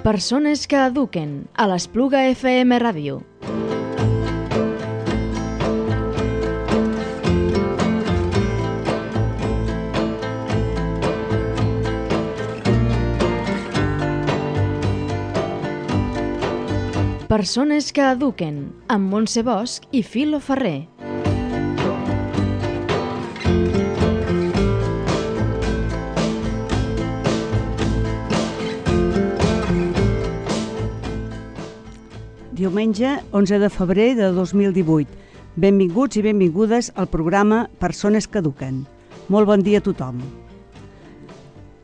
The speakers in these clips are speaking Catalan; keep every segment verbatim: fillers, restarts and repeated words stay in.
Persones que eduquen a l'Espluga F M Ràdio. Persones que eduquen amb Montse Bosch i Filo Ferrer. Diumenge onze de febrer de dos mil divuit. Benvinguts i benvingudes al programa Persones que eduquen. Molt bon dia a tothom.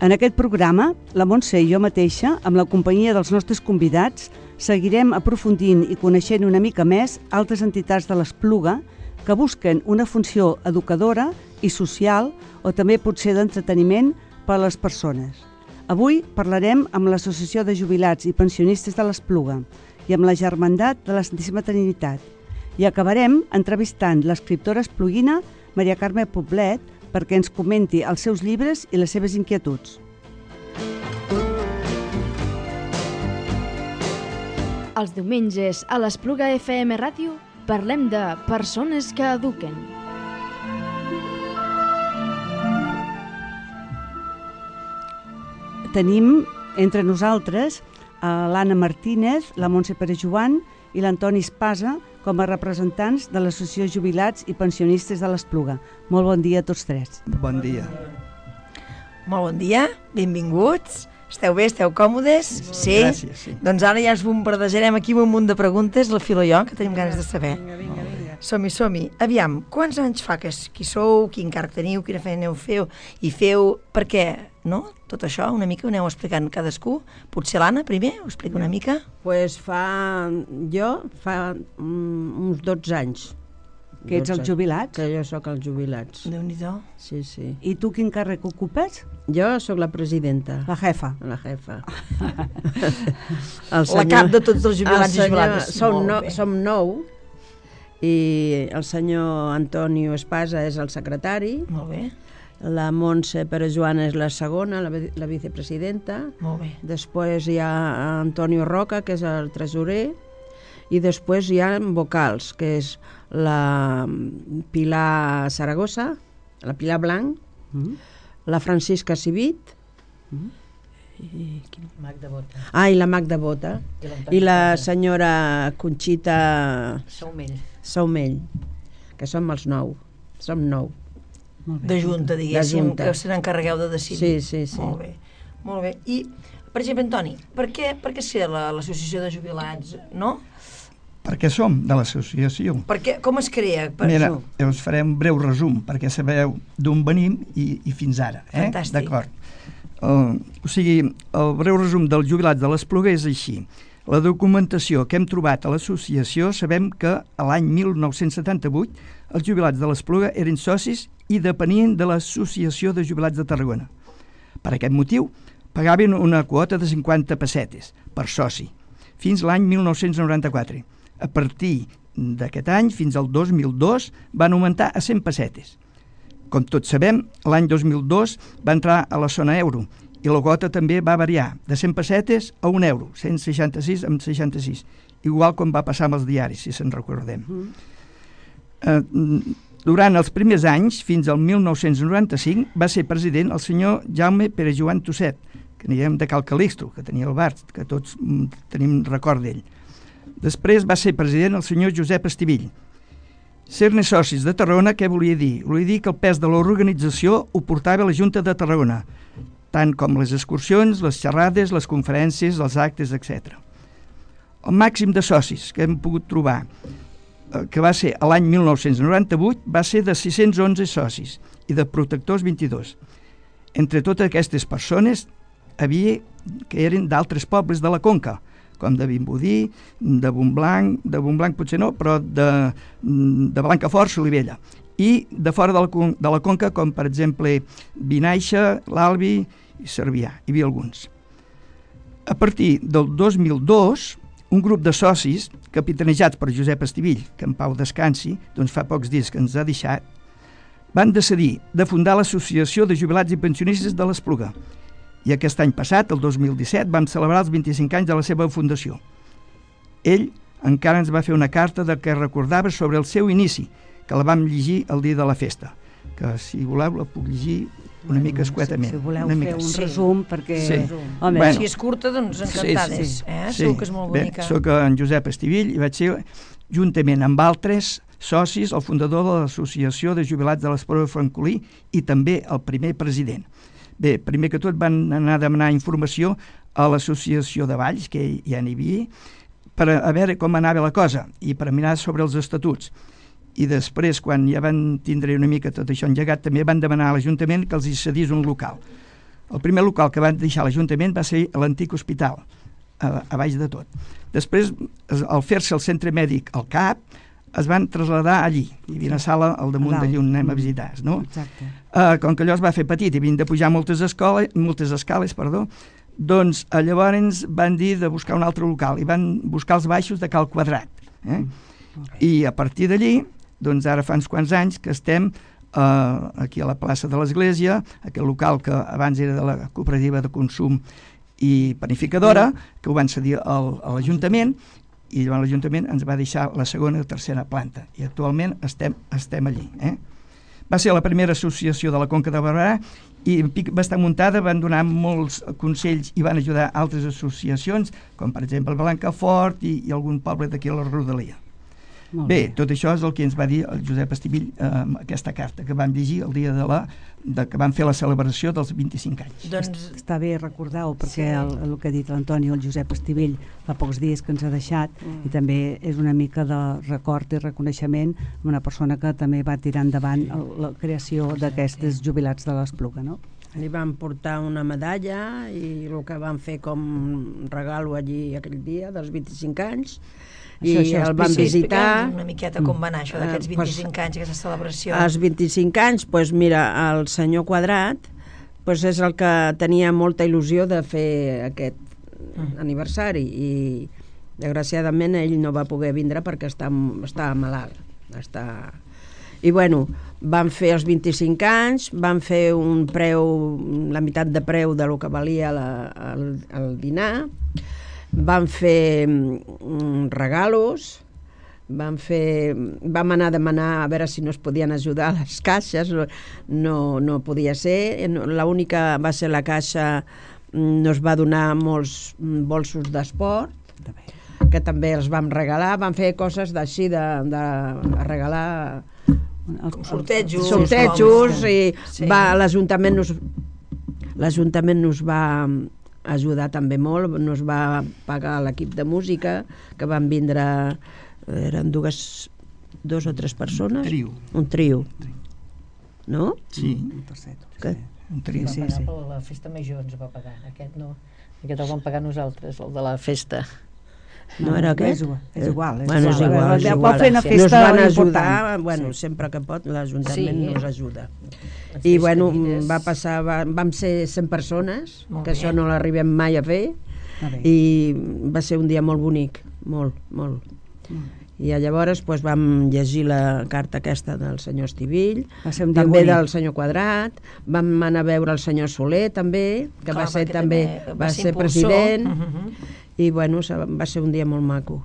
En aquest programa, la Montse i jo mateixa, amb la companyia dels nostres convidats, seguirem aprofundint i coneixent una mica més altres entitats de l'Espluga que busquen una funció educadora i social o també potser d'entreteniment per a les persones. Avui parlarem amb l'Associació de Jubilats i Pensionistes de l'Espluga i amb la Germandat de la Santíssima Trinitat. I acabarem entrevistant l'escriptora espluguina Maria Carme Poblet perquè ens comenti els seus llibres i les seves inquietuds. Els diumenges a l'Espluga F M Ràdio parlem de persones que eduquen. Tenim entre nosaltres a l'Anna Martínez, la Montse Perejoan i l'Antoni Espasa com a representants de l'Associació Jubilats i Pensionistes de l'Espluga. Molt bon dia a tots tres. Bon dia. Molt bon dia, benvinguts. Esteu bé, esteu còmodes? Sí? Gràcies, sí. Doncs ara ja ens bombardejarem aquí amb un munt de preguntes, la Filo i jo, que tenim ganes de saber. Vinga, vinga, vinga. Som-hi, som-hi. Aviam, quants anys fa que qui sou, quin càrrec teniu, quina feina heu feu, i feu per què, no? Tot això, una mica ho aneu explicant cadascú. Potser l'Anna, primer, ho explica una mica. Pues fa... jo fa um, uns dotze anys. Que ets els jubilats? Que jo sóc els jubilats. Déu-n'hi-do. Sí, sí. I tu quin càrrec ocupes? Jo sóc la presidenta. La jefa. La jefa. La cap de tots els jubilats i jubilades. Som, no, som nou i el senyor Antonio Espasa és el secretari. Molt bé. La Montse Perejoan és la segona, la, la vicepresidenta. Molt bé. Després hi ha Antonio Roca, que és el tresorer. I després hi ha vocals, que és la Pilar Saragossa, la Pilar Blanc, mm. la Francisca Civit, mm. i... Magda Bota. Ah, i la Magda Bota, i, i la senyora Conxita Saumell. Saumell, que som els nou, som nou. De junta, diguéssim, que se n'encarregueu de decidir. Sí, sí, sí. Molt bé, molt bé. I, per exemple, Antoni, per què, per què ser l'Associació de Jubilats, no? Perquè som de l'associació. Perquè, com es crea? Per Mira, això? us faré un breu resum, perquè sabeu d'on venim i, i fins ara. Eh? Fantàstic. D'acord. Uh, o sigui, el breu resum dels jubilats de l'Espluga és així. La documentació que hem trobat a l'associació sabem que a l'any mil nou-cents setanta-vuit els jubilats de l'Espluga eren socis i depenien de l'Associació de Jubilats de Tarragona. Per aquest motiu, pagaven una quota de cinquanta pessetes per soci, fins l'any mil nou-cents noranta-quatre. A partir d'aquest any, fins al dos mil dos, van augmentar a cent pessetes. Com tots sabem, l'any dos mil dos va entrar a la zona euro i la quota també va variar de cent pessetes a un euro, cent seixanta-sis amb seixanta-sis, igual com va passar amb els diaris, si se'n recordem. Mm. Eh, durant els primers anys, fins al mil nou-cents noranta-cinc, va ser president el senyor Jaume Perejoan Tosset, que diguem de Cal Calixto, que tenia el bar, que tots mm, tenim record d'ell. Després va ser president el senyor Josep Estivill. Ser-ne socis de Tarragona, què volia dir? Volia dir que el pes de l'organització ho portava la Junta de Tarragona, tant com les excursions, les xerrades, les conferències, els actes, etcètera. El màxim de socis que hem pogut trobar, que va ser l'any mil nou-cents noranta-vuit, va ser de sis-cents onze socis i de protectors vint-i-dos. Entre totes aquestes persones havia que eren d'altres pobles de la Conca, com de Vimbodí, de Montblanc, de Montblanc potser no, però de, de Blancafort, Solivella. I de fora de la, de la Conca, com per exemple Vinaixa, l'Albi i Cervià. Hi havia alguns. A partir del dos mil dos, un grup de socis, capitanejats per Josep Estivill, que en pau descansi, doncs fa pocs dies que ens ha deixat, van decidir de fundar l'Associació de Jubilats i Pensionistes de l'Espluga I aquest any passat, el dos mil disset, vam celebrar els vint-i-cinc anys de la seva fundació. Ell encara ens va fer una carta de què recordava sobre el seu inici, que la vam llegir el dia de la festa, que si voleu la puc llegir una mica escuetament. Si voleu una fer mica. un Sí. resum, perquè... Sí. Home, Bueno. Si és curta, doncs encantades. Sí, sí. Eh? Sí. Segur que és molt Bé, bonica. soc en Josep Estivill i vaig ser, juntament amb altres socis, el fundador de l'Associació de Jubilats de l'Espluga de Francolí i també el primer president. Bé, primer que tot van anar a demanar informació a l'Associació de Valls, que ja n'hi havia, per a veure com anava la cosa i per a mirar sobre els estatuts. I després, quan ja van tindre una mica tot això engegat, també van demanar a l'Ajuntament que els hi cedís un local. El primer local que van deixar a l'Ajuntament va ser l'antic hospital, a, a baix de tot. Després, al fer-se el centre mèdic al C A P, es van traslladar allí. Hi havia una sala al damunt d'allí on anem a visitar, no? Exacte. Uh, com que allò es va fer petit i havien de pujar moltes, escoles, moltes escales, perdó, doncs uh, llavors van dir de buscar un altre local i van buscar els baixos de Cal Quadrat. Eh? I a partir d'allí, doncs ara fa uns quants anys que estem uh, aquí a la plaça de l'Església, aquell local que abans era de la cooperativa de consum i panificadora, que ho van cedir al, a l'Ajuntament, i llavors l'Ajuntament ens va deixar la segona i la tercera planta, i actualment estem, estem allí. Eh? Va ser la primera associació de la Conca de Barberà i va estar muntada, van donar molts consells i van ajudar altres associacions, com per exemple Blancafort i, i algun poble d'aquí a la rodalia. Molt Bé, tot això és el que ens va dir el Josep Estivill eh, amb aquesta carta que vam llegir el dia de la de que vam fer la celebració dels vint-i-cinc anys. Doncs Està bé recordar-ho, perquè Sí. el, el que ha dit l'Antoni, el Josep Estivill, fa pocs dies que ens ha deixat, Mm. i també és una mica de record i reconeixement amb una persona que també va tirar endavant el, la creació d'aquests jubilats de l'Espluga, no? Li van portar una medalla i el que van fer com regalo allí aquell dia dels vint-i-cinc anys, i Això, això, el van explica- visitar. explica'ns una miqueta com va anar això d'aquests Eh, pues, vint-i-cinc anys, aquesta celebració. Als vint-i-cinc anys, pues mira, el senyor Quadrat pues és el que tenia molta il·lusió de fer aquest Mm. aniversari i desgraciadament ell no va poder vindre perquè està, estava malalt. Està... I bueno, van fer els vint-i-cinc anys, van fer un preu, la meitat de preu de lo que valia la, el, el dinar, van fer mm, regalos, van fer, vam anar a demanar a veure si no es podien ajudar a les caixes, no, no podia ser, l'única va ser la caixa, mm, nos va donar molts mm, bolsos d'esport, També. que també els vam regalar, van fer coses d'així, de, de regalar El, sortejos. sortejos i Sí. va, l'Ajuntament nos, l'Ajuntament nos va ajudar també molt, nos va pagar l'equip de música, que van vindre, eren dues, dos o tres persones, Trio. un trio, no? Sí, el tercer, Que- sí. un trio. Sí, Va pagar sí. per la festa major, ens va pagar. Aquest no. Aquest el vam pagar nosaltres, el de la festa. No era aquest? És igual, és igual. És Bueno, és igual. igual, és Ja igual. pot fer una Sí. Nos festa van important. ajudar, bueno, Sí. sempre que pot, l'Ajuntament Sí. nos ajuda. Les I bueno, festenides. va passar, va, vam ser cent persones, Molt que bé. això no l'arribem mai a fer, Ah, bé. i va ser un dia molt bonic, molt, molt. I llavors pues, vam llegir la carta aquesta del senyor Estivill, Va ser un dia també bonic. del senyor Quadrat, vam anar a veure el senyor Soler també, que Clar, va ser perquè també, també va, va ser, ser impulsor. president, Mhm. i bueno, se- va ser un dia molt maco,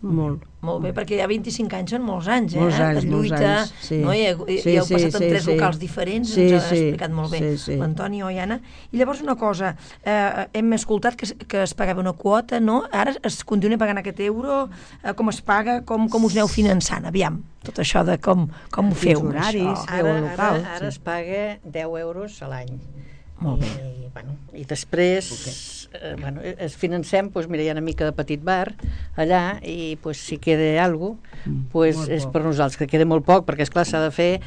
molt. Molt bé, perquè ja vint-i-cinc anys són molts anys, eh? Molts anys, de molts lluita, anys, sí. no? I, i, Sí, i heu sí, passat en sí, tres sí. locals diferents, Sí, ens ha sí, explicat molt bé sí, sí. l'Antoni Oiana. I llavors una cosa, eh, hem escoltat que, es- que es pagava una quota, no? Ara es continua pagant aquest euro, eh, com es paga, com, com us aneu finançant, aviam, tot això de com, com ho feu. Quins horaris? això. Feu Ara, un local, ara, ara sí. es paga deu euros a l'any. Molt bé. I, bueno, i després eh, bueno, es financem, doncs, mira, hi ha una mica de petit bar allà i pues, si queda alguna cosa, pues, Molt és poc. per nosaltres, que queda molt poc, perquè esclar s'ha de fer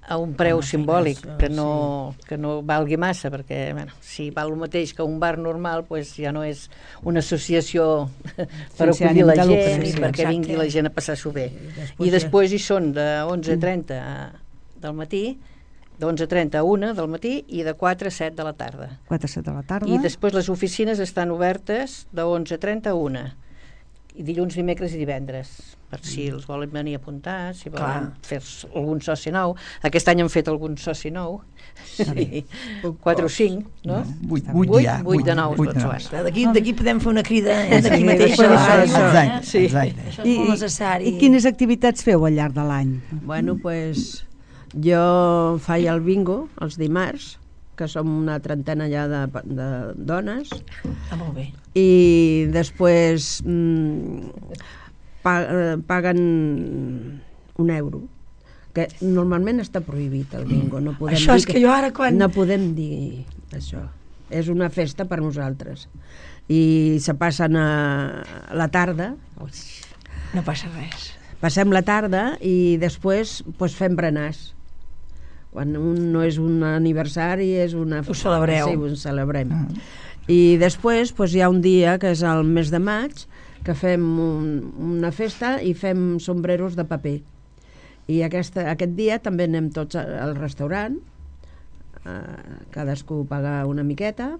a un preu simbòlic, això, que no, que no valgui massa, perquè bueno, si val el mateix que un bar normal, pues, ja no és una associació per Sense acollir ànim la de lucre, gent i sí, perquè exacte. vingui la gent a passar-s'ho bé. Després I després hi són de onze a trenta del matí, d'onze a trenta a una del matí i de quatre a set de la tarda. quatre a set de la tarda. I després les oficines estan obertes de onze a trenta a una. i dilluns, dimecres i divendres, per si els volen venir a apuntar, si volen Clar. fer algun soci nou. Aquest any han fet algun soci nou, sí. quatre o cinc, no? Vuit, Vuit, vuit, ja, vuit de nous, vuit de doncs, nous. bueno. D'aquí d'aquí podem fer una crida eh, d'aquí Sí, mateix. després a la això, ràdio. això. Exacte, Sí. exacte. Això és molt necessari. I quines activitats feu al llarg de l'any? Bueno, pues, jo faig el bingo els dimarts, que som una trentena ja de, de dones, Ah, molt bé. i després mm, pa, eh, paguen un euro, que normalment està prohibit el bingo. No podem Això dir és que jo ara quan... No podem dir això. És una festa per nosaltres. I se passen a la tarda, No passa res. passem la tarda i després pues, fem berenars. Quan un no és un aniversari, és una... Ho celebreu. Sí, ho celebrem. Ah. I després pues, hi ha un dia, que és el mes de maig, que fem un, una festa i fem sombreros de paper. I aquesta, aquest dia també anem tots al restaurant, eh, cadascú paga una miqueta,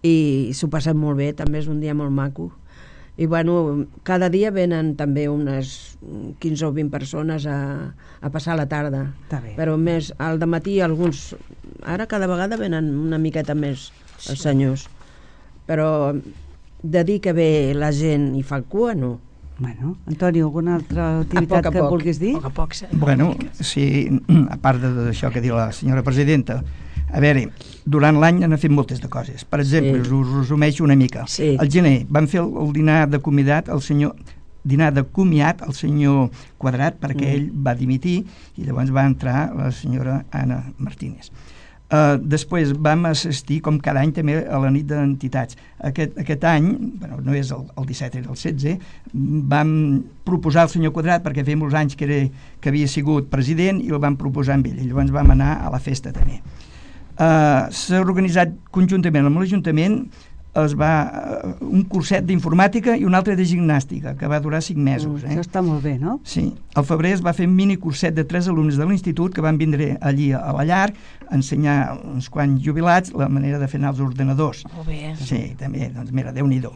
i s'ho passem molt bé, també és un dia molt maco. I bueno, cada dia venen també unes quinze o vint persones a, a passar la tarda. Està bé. Però més al dematí alguns... Ara cada vegada venen una miqueta més els senyors. Però de dir que ve la gent i fa cua, no. Bueno, Antonio, alguna altra activitat a que poc. vulguis dir? A poc a poc. Sí. Bueno, sí, a part d'això que diu la senyora presidenta, a veure, durant l'any han fet moltes de coses. Per exemple, Sí. sí. us resumeixo una mica. Sí. Al gener van fer el, el dinar de comiat el senyor dinar de comiat al senyor Quadrat perquè Mm. ell va dimitir i llavors va entrar la senyora Anna Martínez. Uh, després vam assistir, com cada any, també a la nit d'entitats. Aquest, aquest any, bueno, no és el, el disset, era el setze, vam proposar al senyor Quadrat, perquè feia molts anys que, era, que havia sigut president, i el vam proposar amb ell, i llavors vam anar a la festa també. Uh, s'ha organitzat conjuntament amb l'Ajuntament, es va uh, un curset d'informàtica i un altre de gimnàstica, que va durar cinc mesos. Eh? Això està molt bé, no? Sí, al febrer es va fer un mini curset de tres alumnes de l'institut que van vindre allí a la llar a ensenyar uns quants jubilats la manera de fer anar els ordenadors. Molt bé. Sí, també, doncs mira, Déu-n'hi-do.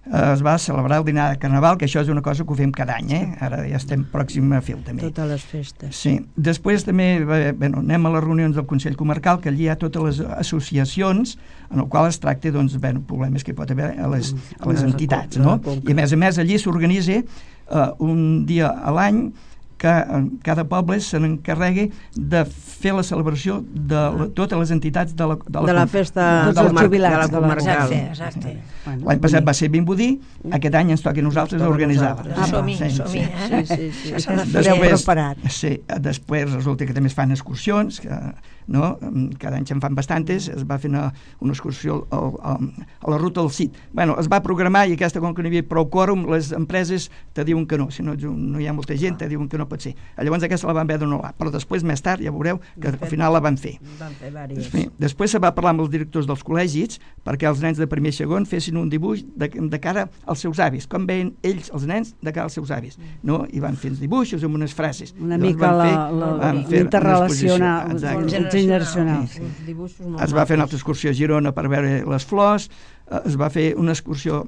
Es va celebrar el dinar de Carnaval, que això és una cosa que ho fem cada any, eh? Ara ja estem pròxim a fer també. Totes les festes. Sí, després també bueno, anem a les reunions del Consell Comarcal, que allí hi ha totes les associacions en el qual es tracta doncs, bueno, problemes que hi pot haver a les, a les entitats, no? I a més a més allí s'organitza uh, un dia a l'any que cada poble se n'encarregui de fer la celebració de la, totes les entitats de la, de la, De la festa Tots de els la, jubilats de la de la- comarcal. Exacte, exacte. Bueno, L'any passat va ser Vimbodí, aquest any ens toca a nosaltres Toca a organitzar-la. nosaltres. Ah, som-hi, Sí, som-hi, sí. eh? Sí, sí, sí. Això s'ha de fer. Després, Després, preparat. sí, després resulta que també es fan excursions, que, no? Cada any se'n fan bastantes, es va fer una, una excursió al, al, a la ruta del Cid. Bueno, es va programar i aquesta, com que no hi havia prou quòrum, les empreses te diuen que no, si no, no hi ha molta gent, te diuen que no pot ser. Llavors aquesta la van haver d'anul·lar, però després, més tard, ja veureu que al final la van fer. Van fer diverses. Sí. Després se va parlar amb els directors dels col·legis perquè els nens de primer i segon fessin un dibuix de, de cara als seus avis, com veien ells, els nens, de cara als seus avis, no? I van fer els dibuixos amb unes frases. Una Llavors mica van la- fer- la- van fer una l'interrelacional, exposició. Exacte. generacional. Sí, Uns dibuixos molt Es va fer una macos. altra excursió a Girona per veure les flors, eh, es va fer una excursió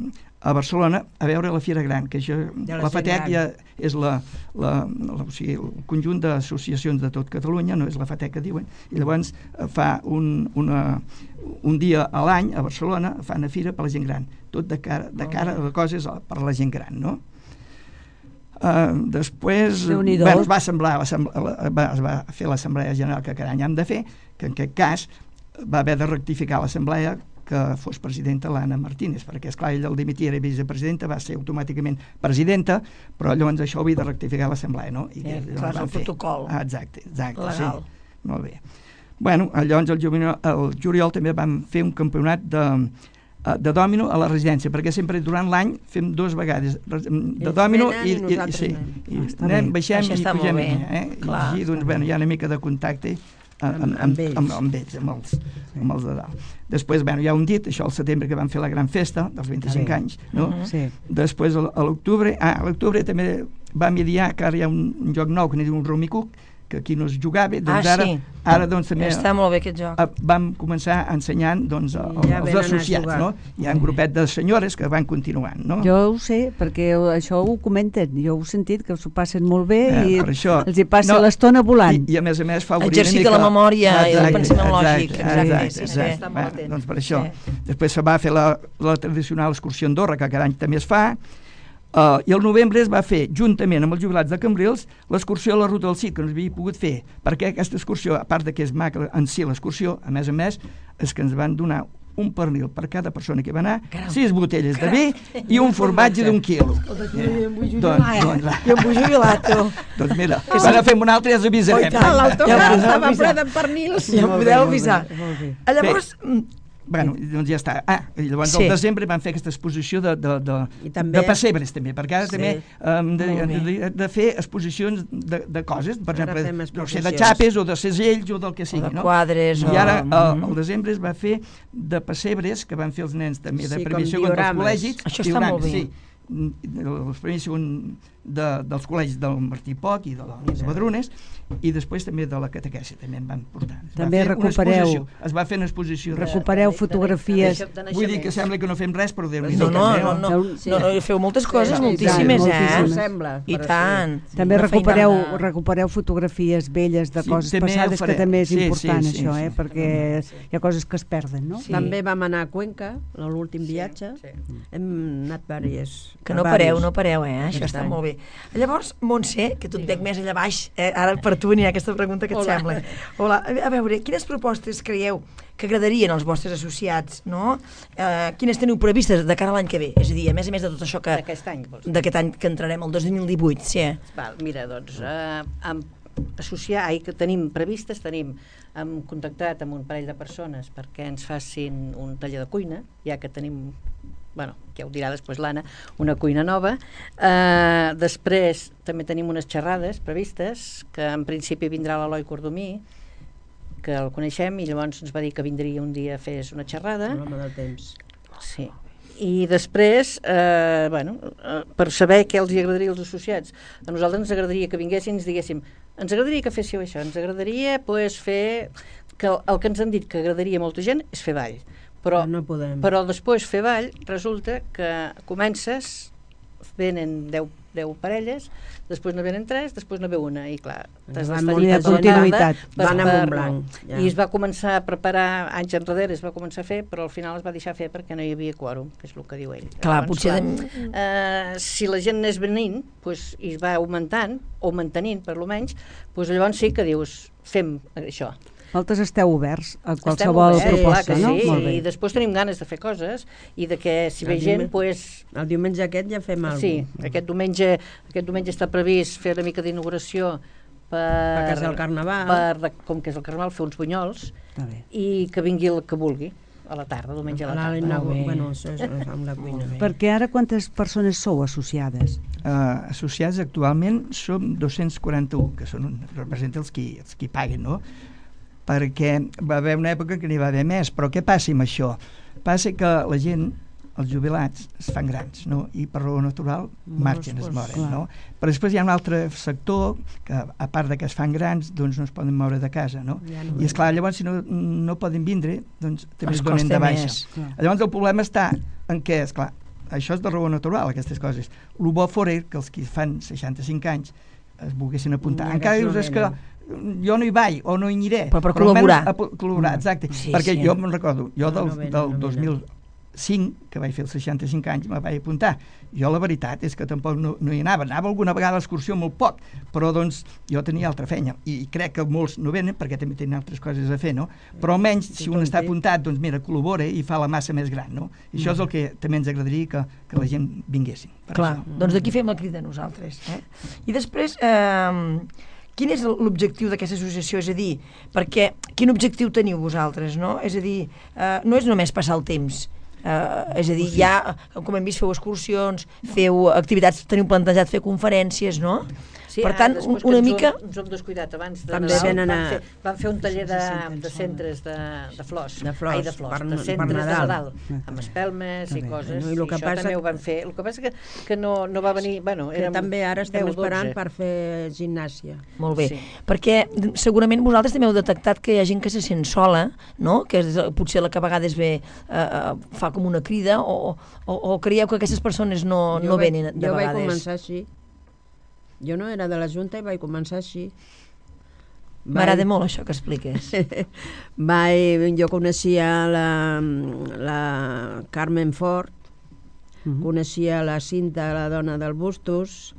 a Barcelona a veure la Fira Gran, que això, la la gent FATEC gran. ja és la, la, la, o sigui, el conjunt d'associacions de tot Catalunya, no és la FATEC que diuen, i llavors eh, fa un, una, un dia a l'any a Barcelona, fa una fira per la gent gran, tot de cara, de cara a coses per a la gent gran, no? Uh, després Déu-n'hi-do. bueno, es va semblar va, es va fer l'assemblea general que cada any hem de fer, que en aquest cas va haver de rectificar l'assemblea que fos presidenta l'Anna Martínez, perquè esclar, ella el dimitir era vicepresidenta, va ser automàticament presidenta, però llavors això ho havia de rectificar l'assemblea, no? I Eh, que clar, van el fer. protocol. Ah, exacte, exacte, Legal. sí. Molt bé. Bueno, llavors el juliol, el juliol també vam fer un campionat de de dòmino a la residència, perquè sempre durant l'any fem dues vegades de Ells dòmino venen i, i i, i, nosaltres sí, anem. i Ah, està anem, bé. baixem Això i està molt pugem, bé. eh? Clar, I així, doncs, bueno, hi ha una mica de contacte amb, amb, Amb ells. amb, amb ells, amb els, amb els de dalt. Després, bueno, hi ha un dit, això al setembre que vam fer la gran festa dels vint-i-cinc bé. anys, no? Mhm. Sí. Després, a l'octubre, ah, a l'octubre també vam idear que ara hi ha un, un joc nou que n'hi diu un Rumicuc, que aquí no es jugava, doncs ah, ara, sí. ara doncs també està molt bé aquest joc. vam començar ensenyant doncs, el, Ja els venen a associats, jugar. no? Hi ha un grupet de senyores que van continuant, no? Jo ho sé, perquè això ho comenten, jo ho he sentit, que s'ho passen molt bé Eh, i per això- els hi passa no, l'estona volant. I, I a més a més fa obrir Exercita una mica... la memòria i el pensament exacte, lògic, exacte, sí, sí. exacte. Està molt Va, atent. doncs per això. Sí. Després se va fer la, la tradicional excursió a Andorra, que cada any també es fa, uh, i al novembre es va fer, juntament amb els jubilats de Cambrils, l'excursió a la Ruta del Cid, que no s'havia pogut fer, perquè aquesta excursió, a part de que és maca en si l'excursió, a més a més, és que ens van donar un pernil per cada persona que va anar, Caram. sis botelles de vi i un formatge d'un quilo. Doncs, Doncs, doncs, jo em vull jubilar, tu. doncs mira, quan fem un altre ja us avisarem. Oh, i tant. L'autocar Ja estava podeu ple de pernils. Ja em Molt bé, podeu molt bé, avisar. molt bé. Ah, Llavors, Bueno, doncs ja està. Ah, i llavors Sí. al desembre van fer aquesta exposició de, de, de, I també- de pessebres, també, perquè ara Sí. també hem de, Molt bé. de, de fer exposicions de, de coses, per Ara exemple, fem no sé, de exposicions. xapes o de segells o del que sigui, de no? quadres I o- ara, al, Mhm. al desembre es va fer de pessebres, que van fer els nens també, de Sí, primer i com segon dels diorames. col·legis. Això està diorames, molt bé. Sí, els primers i segon de, dels col·legis del Martí Poc i de les Badrunes, i després també de la catequèsia, també en van portar. Es va També fer una recupereu- exposició, Es va fer una exposició. de- Recupereu fotografies. Vull dir que sembla que no fem res, però Déu-n'hi-do. No, no, també, no, no, Sí. no, no, feu moltes coses, Sí, moltíssimes, i tant, eh? moltíssimes. Sembla, I però sí. tant. També Una recupereu, feinada. recupereu fotografies velles de Sí, coses també ho passades, que farem. també és Sí, sí, important sí, això, sí. eh? perquè hi ha coses que es perden, no? Sí. També vam anar a Cuenca, l'últim viatge. sí. Hem anat vàries. Que no a pareu, vàries. no pareu, eh? Això Aquest està any. molt bé. Llavors, Montse, que tu et veig més allà baix, eh? Ara per tu n'hi ha aquesta pregunta que et Hola. sembla. Hola. A veure, quines propostes creieu que agradarien als vostres associats, no? Eh, quines teniu previstes de cara a l'any que ve? És a dir, a més a més de tot això que... D'aquest any, vols dir? D'aquest any que entrarem, el dos mil divuit, sí. Val, mira, doncs, eh, amb associar, ai, que tenim previstes, tenim, hem contactat amb un parell de persones perquè ens facin un taller de cuina, ja que tenim, bueno, ja ho dirà després l'Anna, una cuina nova. Eh, després també tenim unes xerrades previstes, que en principi vindrà l'Eloi Cordomí, que el coneixem, i llavors ens va dir que vindria un dia a fer una xerrada. L'home del temps. Sí. I després, eh, bueno, eh, per saber què els hi agradaria als associats, a nosaltres ens agradaria que vinguessin i ens diguéssim, ens agradaria que féssiu això, ens agradaria pues, fer... que el, el que ens han dit que agradaria a molta gent és fer ball. Però, no podem. però després fer ball resulta que comences, venen deu, deu parelles, després no venen tres, després no ve una, i clar, t'has Van d'estar molt allí de tota la continuïtat. tarda per- Van amb per- un blanc, ja. I es va començar a preparar anys enrere, es va començar a fer, però al final es va deixar fer perquè no hi havia quòrum, que és el que diu ell. Clar, Llavors, potser... clar, eh, si la gent anés venint pues, i es va augmentant, o mantenint per lo menys, pues, llavors sí que dius, fem això. Vosaltres esteu oberts a Estem qualsevol oberts, proposta, clar que no? sí, Molt bé. i després tenim ganes de fer coses i de que si ve El gent, diumenge- pues, El diumenge aquest ja fem alguna sí, aquest diumenge, aquest diumenge està previst fer una mica d'inauguració per, Per casa del Carnaval. per, com que és el Carnaval, fer uns bunyols Està bé. i que vingui el que vulgui a la tarda, diumenge a la La, tarda. la, Molt bé. bueno, això és amb la cuina. Perquè ara quantes persones sou associades? Uh, associats actualment som dos-cents quaranta-u, que són un, representa els qui, els qui paguen, no? Perquè va haver una època que n'hi va haver més, però què passa amb això? Passa que la gent, els jubilats, es fan grans, no? I per raó natural marxen, es moren, clar. no? Però després hi ha un altre sector que, a part de que es fan grans, doncs no es poden moure de casa, no? Ja no I és clar, llavors si no, no poden vindre, doncs també Els es donen costa de baixa. més. Clar. Llavors el problema està en què, és clar, això és de raó natural, aquestes coses. El bo fora que els que fan seixanta-cinc anys es volguessin apuntar. I Encara aquests dius, no és que venen. jo no hi vaig o no hi aniré. Però per almenys col·laborar. A po- col·laborar, exacte. Sí, Perquè sí. jo me'n recordo, jo No, del, no venen, del no dos venen. mil cinc, que vaig fer els seixanta-cinc anys, me vaig apuntar. Jo la veritat és que tampoc no, no hi anava. Anava alguna vegada a l'excursió molt poc, però doncs jo tenia altra feina. I crec que molts no venen perquè també tenen altres coses a fer, no? Però almenys, si un està apuntat, doncs mira, col·labora i fa la massa més gran, no? I això és el que també ens agradaria que, que la gent vinguessin. per Clar, això. doncs d'aquí fem la crida nosaltres. Eh? I després, eh, quin és l'objectiu d'aquesta associació? És a dir, perquè, quin objectiu teniu vosaltres, no? És a dir, eh, no és només passar el temps, Uh, és a dir, ja, com hem vist, feu excursions, feu activitats, teniu plantejat fer conferències, no? Sí, per ah, tant, després una que ens mica... Ho, ens ho hem descuidat abans de També Nadal, venen van, a- fer, van fer un taller de, de centres de, de flors. De flors, Ai, de flors, per- de per centres de Nadal. Nadal, amb espelmes i coses. Bueno, i el I que això passa també que- ho van fer. El que passa que, que no, no va venir... Bueno, Que érem també ara estem deu o dotze. esperant per fer gimnàsia. Molt bé, Sí. perquè segurament vosaltres també heu detectat que hi ha gent que se sent sola, no? Que és, eh, potser la que a vegades ve, eh, eh, fa com una crida, o, o, o creieu que aquestes persones no, no vaig- venen de jo vegades? vaig començar així. Jo no era de la Junta i vaig començar així. M'agrada molt això que expliques. Vaig, jo coneixia la, la Carmen Fort, Mhm. coneixia la Cinta, la dona del Bustos,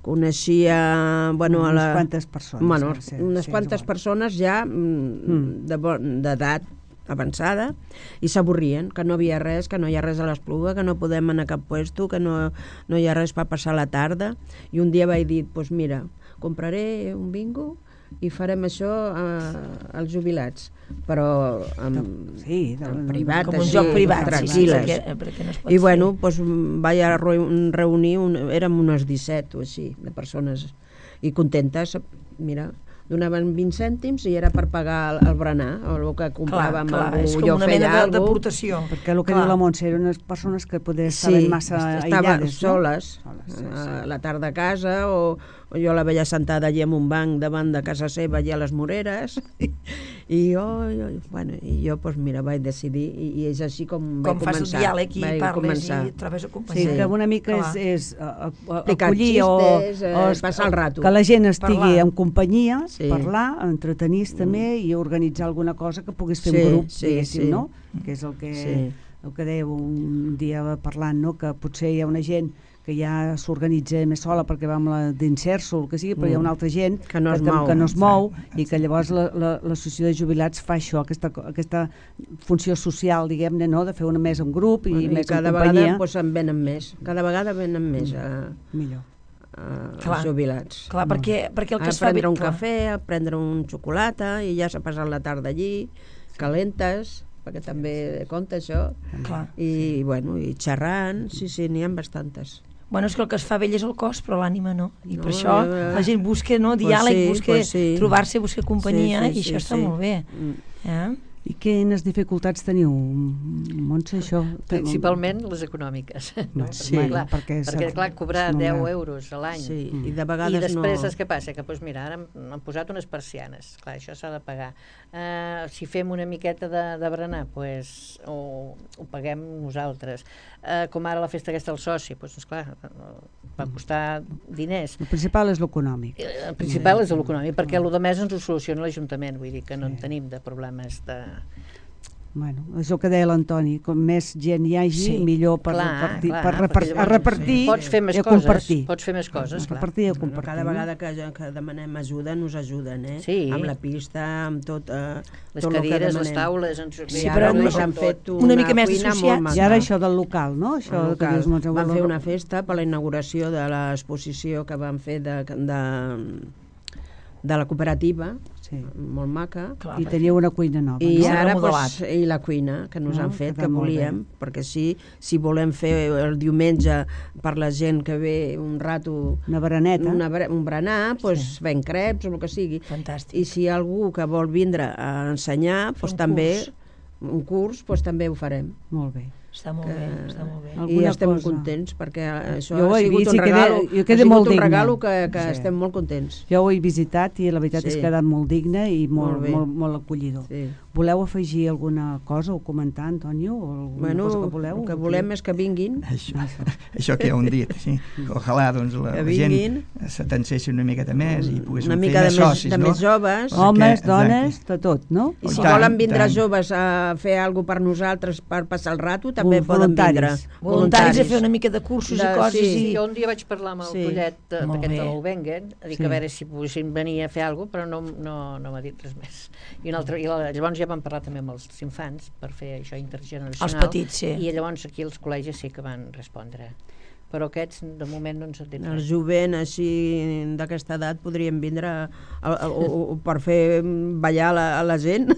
coneixia, bueno, a unes la, quantes persones. bueno, ara, sí, unes sí, quantes és igual. persones ja mm, de bon- d'edat avançada i s'avorrien, que no havia res, que no hi ha res a l'Espluga, que no podem anar a cap puesto, que no, no hi ha res per passar la tarda. I un dia vaig dir, doncs pues mira, compraré un bingo i farem això eh, als jubilats, però en, Sí, de- en privat, Com un així, joc privat, sí, tranquil·les. perquè, perquè no es pot I fer. bueno, doncs, vaig a reu- reunir, un, érem unes disset o així, de persones, i contentes, mira, donaven vint cèntims i era per pagar el, el berenar, o el que compràvem, clar, algú, és com jo una feia mena de- alguna cosa. d'aportació. Perquè el que Clar. diu la Montse eren unes persones que poder estaven massa estava aïllades, soles, no? Soles, sí, a sí. la tarda a casa, o, o jo la veia sentada allí en un banc davant de casa seva, allà a les Moreres, i jo, jo, bueno, i jo pues, mira, vaig decidir, i, i és així com, Com vaig fas el començar. diàleg i vaig parles començar. i trobes Sí, acompanyament. que una mica Clar. és, és a, a, Explicar acollir o, xistes, eh, o es- passar el rato. que la gent estigui Parlar. en companyia, Sí. parlar, entretenir-se també i organitzar alguna cosa que puguis fer Sí, un grup, sí, diguéssim, sí. no? Que és el que, Sí. el que dèieu un dia parlant, no? Que potser hi ha una gent que ja s'organitza més sola perquè va amb la d'inserso o el que sigui, però hi ha una altra gent Que no es que, mou. que no es mou i que llavors la- la- l'associació de jubilats fa això, aquesta, aquesta funció social, diguem-ne, no? De fer una més en grup i, I, més cada en companyia. vegada pues, en venen més, cada vegada venen més a, Millor. a, Clar. als jubilats. Clar, perquè, perquè el que a es fa... prendre bé- un clar. cafè, a prendre un xocolata i ja s'ha passat la tarda allí, calentes, perquè també compta això, Clar. i bueno, i xerrant, sí, sí, n'hi ha bastantes. Bueno, és que el que es fa vell és el cos, però l'ànima no. I per No, això eh, la gent busca no, pues diàleg, sí, busca pues sí. trobar-se, busca companyia, Sí, sí, i això sí, està sí. molt bé. Mm. Eh? I quines dificultats teniu, Montse, això? Principalment les econòmiques. No? Sí, perquè, clar, perquè s'ha- perquè, clar, cobrar no deu m'ha- euros a l'any Sí, Mm. i de i vegades després no... saps què passa? Que doncs mira, ara han, han posat unes persianes, clar, això s'ha de pagar. Uh, si fem una miqueta de, de berenar, pues, ho, ho paguem nosaltres. Uh, com ara la festa aquesta del soci, doncs esclar, va costar diners. El principal és l'econòmic. Eh, El principal és l'econòmic, perquè el de més ens ho soluciona l'Ajuntament, vull dir que no en tenim de problemes de... Bueno, és el que deia l'Antoni, com més gent hi hagi, Sí, millor per clar, repartir, clar, per perquè repar llavors a repartir pots fer més i a coses, compartir. pots fer més coses, A clar. repartir i a Bueno, compartir. cada no? vegada que, que demanem ajuda nos ajuden, eh? Sí. Amb la pista, amb tot, eh, Les tot el que cadires, les demanem. taules... Ens... Sí, Sí, però però ens no- han fet una, una mica més cuina associats. molt maca. I ara això del local, no? Això El que local. dius, Montse, Van el- fer una festa per la inauguració de l'exposició que van fer de, de, de la cooperativa, Sí. molt maca. Clar, I teníeu una cuina nova, I no? S'ha ara remodelat. pues, i la cuina que nos No, han fet, queda que molt volíem, perquè sí, si volem fer el diumenge per la gent que ve un rato Una bereneta. una, bre- un berenar, pues, sí. fent creps o el que sigui. Fantàstic. I si hi ha algú que vol vindre a ensenyar, pues, un també curs. un curs, pues, també ho farem. Molt bé. Està molt bé, està molt bé. Alguna I estem cosa. contents perquè això Jo ho ha he sigut vist un i quedé- regalo, jo ha quedé sigut molt un digne. regalo que, que Sí. estem molt contents. Jo ho he visitat i la veritat Sí. és que ha quedat molt digne i molt, Molt bé. molt, molt acollidor. Sí. Voleu afegir alguna cosa o comentar, Antonio? O alguna Bueno, cosa que voleu? el que volem és que vinguin. Això, això que heu dit, sí. Que ojalà doncs, la, Que la vinguin. gent s'atencessi una miqueta més i poguéssim Una fer mica de més més, socis, de no? més joves. Perquè- Homes, exacte. dones, de tot, no? I I si tant, volen vindre tant. joves a fer alguna per nosaltres per passar el rato, també Vol- poden vindre. voluntaris. Voluntaris a fer una mica de cursos De- i coses. sí. Sí, I... jo un dia vaig parlar amb el Sí. Pollet de- Molt d'aquest bé. de l'Olvengen, a dir Sí. que a veure si poguessin venir a fer alguna cosa, però no, no, no m'ha dit res més. I, un altre, i la, llavors ja vam parlar també amb els infants per fer això intergeneracional. Els petits, sí. I llavors aquí els col·legis sí que van respondre. Però aquests de moment no ens han dit El res. jovent així d'aquesta edat podrien vindre a, a, a, o, o per fer ballar la, a la gent.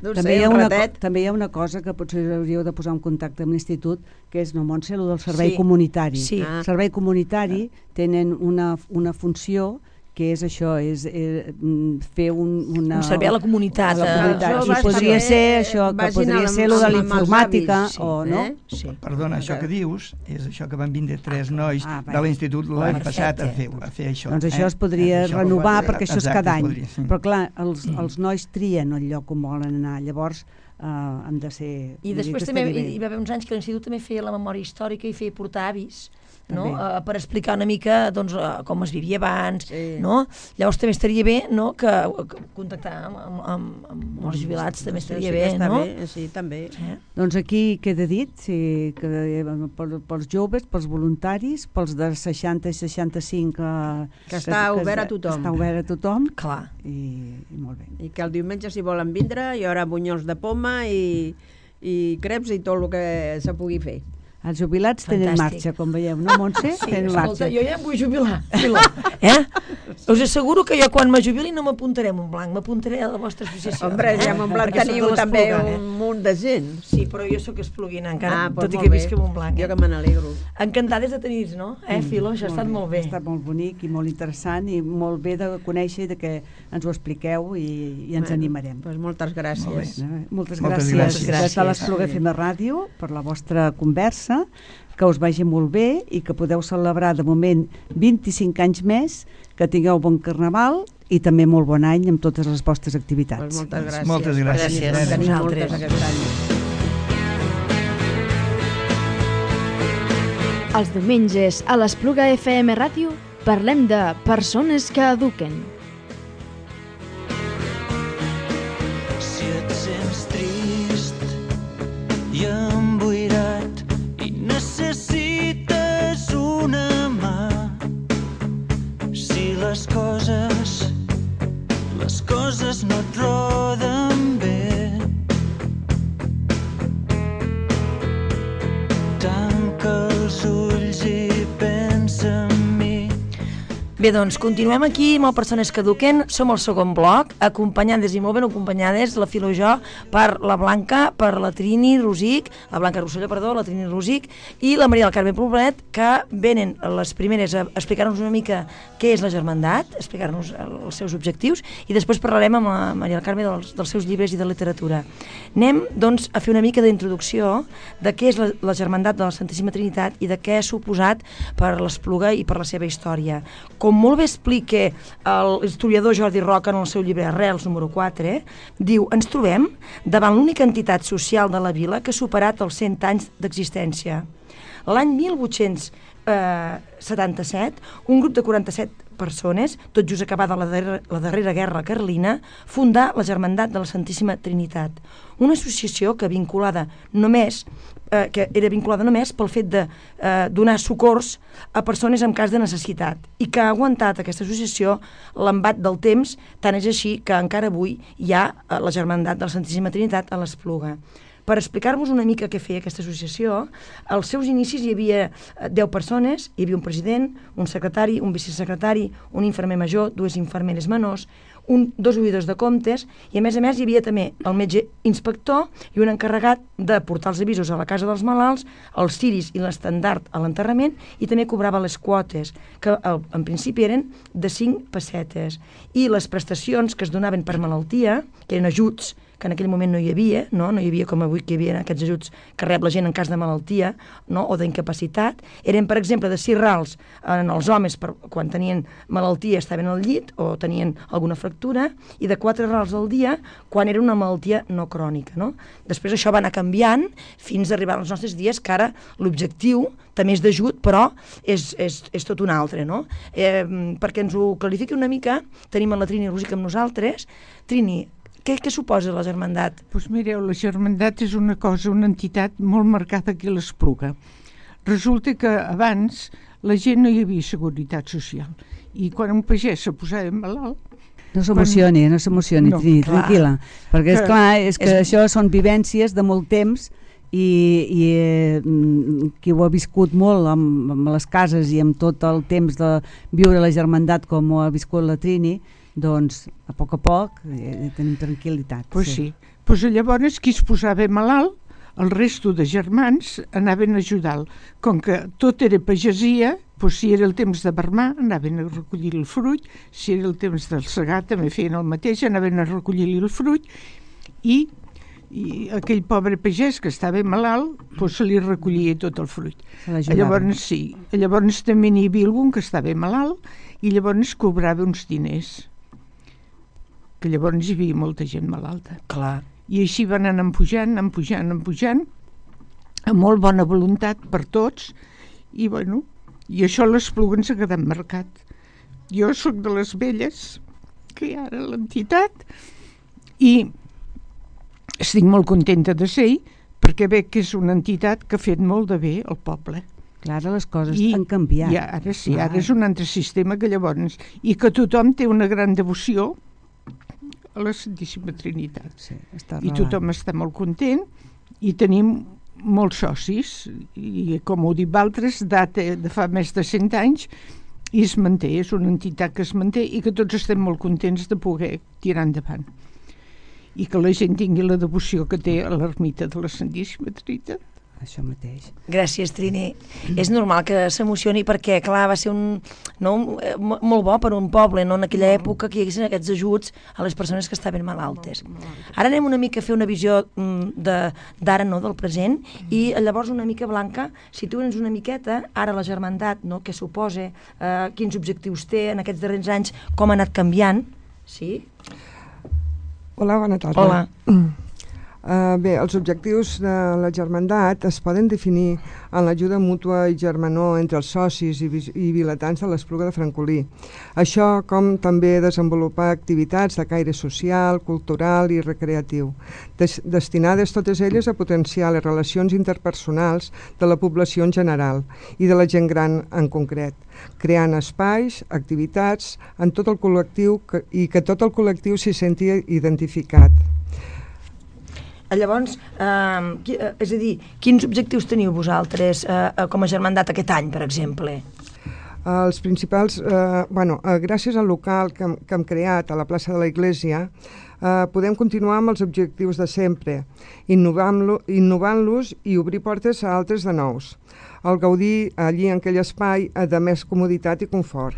No També, sé, hi ha un una, ratet. co- també hi ha una cosa que potser hauríeu de posar en contacte amb l'institut, que és, no, Montse, el del servei Sí. comunitari. Sí. El servei comunitari tenen una, una funció que és això, és eh, fer un, una... Un servei a la comunitat. A la comunitat. Els I joves podria també ser això, que vagin podria amb- ser lo de amb la els informàtica, avis, sí, o no? eh? Sí. Perdona, això que dius és això que van vindre tres nois Ah, de l'institut l'any Perfecte. passat a fer, a fer això. Doncs això eh? es podria Això renovar, podria- perquè això és exacte, cada es any. podria, sí. Però clar, els, els nois trien el lloc on volen anar, llavors eh, han de ser... I vull dir després que també estaria hi, bé. hi va haver uns anys que l'institut també feia la memòria històrica i feia portar avis, no? També. Uh, per explicar una mica doncs, uh, com es vivia abans, Sí. no? Llavors també estaria bé, no? que, que contactar amb, amb, amb, amb els jubilats també Sí, estaria sí bé, que està no? bé, sí, també. Eh? Doncs aquí queda dit, sí, que, eh, per, pels joves, pels voluntaris, pels de seixanta i seixanta-cinc... Eh, Que està obert a tothom. Està obert a tothom Clar. i, i molt bé. I que el diumenge, si volen vindre, hi haurà bunyols de poma i, i creps i tot el que se pugui fer. Els jubilats tenen Fantàstic. marxa, com veieu, no, Montse? Sí, tenen escolta, marxa. jo ja em vull jubilar, Filo, eh? Us asseguro que jo quan me jubili no m'apuntaré en un blanc, m'apuntaré a la vostra associació. Hombre, eh? ja m'en blanc Perquè soc de teniu també l'Espluga, un munt de gent. Sí, però jo sóc espluguina encara, Ah, tot doncs i molt que bé. visc en un blanc. Jo Eh? que me n'alegro. Encantades de tenir-vos, no? Eh, Filo, això ha estat molt bé. Ha estat molt bonic i molt interessant i molt bé de conèixer i de que ens ho expliqueu i, i ens Bueno, animarem. Doncs moltes gràcies. Eh, Moltes, Moltes gràcies, gràcies. des de l'Espluga F M Ràdio per la vostra conversa, que us vagi molt bé i que podeu celebrar de moment vint-i-cinc anys més, que tingueu bon carnaval i també molt bon any amb totes les vostres activitats. Doncs moltes gràcies. Moltes gràcies. Gràcies. En tenim Vosaltres. moltes aquest any. Els diumenges a l'Espluga F M Ràdio parlem de persones que eduquen. Si et sents trist i emboirat i necessites una mà, si les coses, les coses no et roden bé, tanca els ulls i pensa en mi. Bé, doncs, continuem aquí amb el Persones que Eduquen. Som al segon bloc, acompanyades i molt ben acompanyades, la Filo i jo, per la Blanca, per la Trini Rosic, la Blanca Rosselló, perdó, la Trini Rosic, i la Maria del Carme Poblet, que venen les primeres a explicar-nos una mica què és la germandat, explicar-nos els seus objectius, i després parlarem amb la Maria del Carme dels, dels seus llibres i de literatura. Anem, doncs, a fer una mica d'introducció de què és la, la germandat de la Santíssima Trinitat i de què ha suposat per l'Espluga i per la seva història. Com molt bé explica l'historiador Jordi Roca en el seu llibre Arrels, número quatre, diu, ens trobem davant l'única entitat social de la vila que ha superat els cent anys d'existència. L'any mil vuit-cents setanta-set, un grup de quaranta-set persones, tot just acabada la darrera, la darrera guerra carlina, fundà la Germandat de la Santíssima Trinitat, una associació que vinculada només eh, que era vinculada només pel fet de eh, donar socors a persones en cas de necessitat i que ha aguantat aquesta associació l'embat del temps, tant és així que encara avui hi ha eh, la Germandat de la Santíssima Trinitat a l'Espluga. Per explicar-vos una mica què feia aquesta associació, als seus inicis hi havia deu persones, hi havia un president, un secretari, un vicesecretari, un infermer major, dues infermeres menors, un, dos oïdors de comptes, i a més a més hi havia també el metge inspector i un encarregat de portar els avisos a la casa dels malalts, els ciris i l'estandard a l'enterrament, i també cobrava les quotes, que en principi eren de cinc pessetes. I les prestacions que es donaven per malaltia, que eren ajuts, que en aquell moment no hi havia, no, no hi havia com avui que hi havia aquests ajuts que rep la gent en cas de malaltia, no, o d'incapacitat, eren, per exemple, de sis rals en els homes per, quan tenien malaltia, estaven al llit o tenien alguna fractura, i de quatre rals al dia quan era una malaltia no crònica. No? Després això va anar canviant fins a arribar als nostres dies, que ara l'objectiu també és d'ajut, però és, és, és tot un altre. No? Eh, perquè ens ho clarifiqui una mica, tenim a la Trini Rosic amb nosaltres. Trini, Què, què suposa la germandat? Doncs mireu, la germandat és una cosa, una entitat molt marcada aquí a l'Espluga. Resulta que abans la gent no hi havia seguretat social i quan un pagès se posava malalt... No s'emocioni, no s'emocioni, No, Trini, clar. tranquil·la, perquè és Que- clar, és que és- això són vivències de molt temps i, i eh, mm, qui ho ha viscut molt amb, amb les cases i amb tot el temps de viure la germandat com ho ha viscut la Trini, doncs a poc a poc eh, tenim tranquil·litat. Pues sí. Pues llavors qui es posava malalt el resto de germans anaven a ajudar. Com que tot era pagesia, doncs si era el temps de vermar, anaven a recollir el fruit, si era el temps del segar, també feien el mateix, anaven a recollir el fruit, i, i aquell pobre pagès que estava malalt, doncs se li recollia tot el fruit. Llavors, sí, llavors també n'hi havia algun que estava malalt, i llavors cobrava uns diners, que llavors hi havia molta gent malalta. Clar. I així van anar pujant, anar pujant, anar pujant, amb molt bona voluntat per tots, i bueno, i això a l'Espluga ens ha quedat marcat. Jo sóc de les velles, que hi ha ara l'entitat, i estic molt contenta de ser-hi, perquè veig que és una entitat que ha fet molt de bé al poble. Clar, ara les coses I, han canviat. I ara sí, ara és un altre sistema que llavors... I que tothom té una gran devoció a la Santíssima Trinitat. Sí, està I tothom està molt content, i tenim molts socis, i com ho dic altres, data de fa més de cent anys, i es manté, és una entitat que es manté i que tots estem molt contents de poder tirar endavant. I que la gent tingui la devoció que té a l'ermita de la Santíssima Trinitat. Això mateix. Gràcies, Trini. És normal que s'emocioni perquè, clar, va ser un, no, molt bo per un poble, no, en aquella època que hi haguessin aquests ajuts a les persones que estaven malaltes. Ara anem una mica a fer una visió d'ara, no, del present, i llavors una mica, Blanca, situa'ns una miqueta, ara la germandat, no, què suposa, eh, quins objectius té en aquests darrers anys, com ha anat canviant, sí? Hola, bona tarda. Hola. Uh, bé, els objectius de la germandat es poden definir en l'ajuda mútua i germanor entre els socis i, i vilatans de l'Espluga de Francolí. Això com també desenvolupar activitats de caire social, cultural i recreatiu, des, destinades totes elles a potenciar les relacions interpersonals de la població en general i de la gent gran en concret, creant espais, activitats en tot el col·lectiu que, i que tot el col·lectiu s'hi senti identificat. Llavors, eh, qui, eh, és a dir, quins objectius teniu vosaltres eh, com a germandat aquest any, per exemple? Els principals, eh, bueno, eh, gràcies al local que, que hem creat a la plaça de la Iglesia, eh, podem continuar amb els objectius de sempre, innovant-los innovant i obrir portes a altres de nous. El gaudir allí en aquell espai de més comoditat i confort.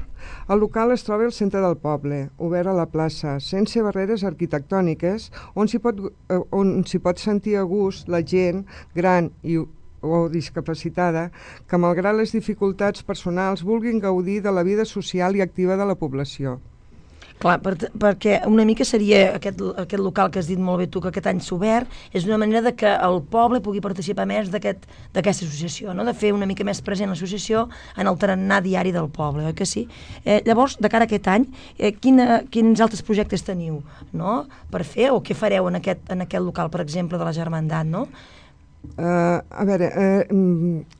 El local es troba al centre del poble, obert a la plaça, sense barreres arquitectòniques, on s'hi pot, eh, on s'hi pot sentir a gust la gent gran i o discapacitada que, malgrat les dificultats personals, vulguin gaudir de la vida social i activa de la població. Clar, per, perquè una mica seria aquest, aquest local que has dit molt bé tu, que aquest any s'ha obert, és una manera de que el poble pugui participar més d'aquesta aquest, associació, no? De fer una mica més present l'associació en el tarannà diari del poble, oi que sí? Eh, llavors, de cara a aquest any, eh, quina, quins altres projectes teniu, no?, per fer, o què fareu en aquest, en aquest local, per exemple, de la germandat, no? Uh, a veure... Uh,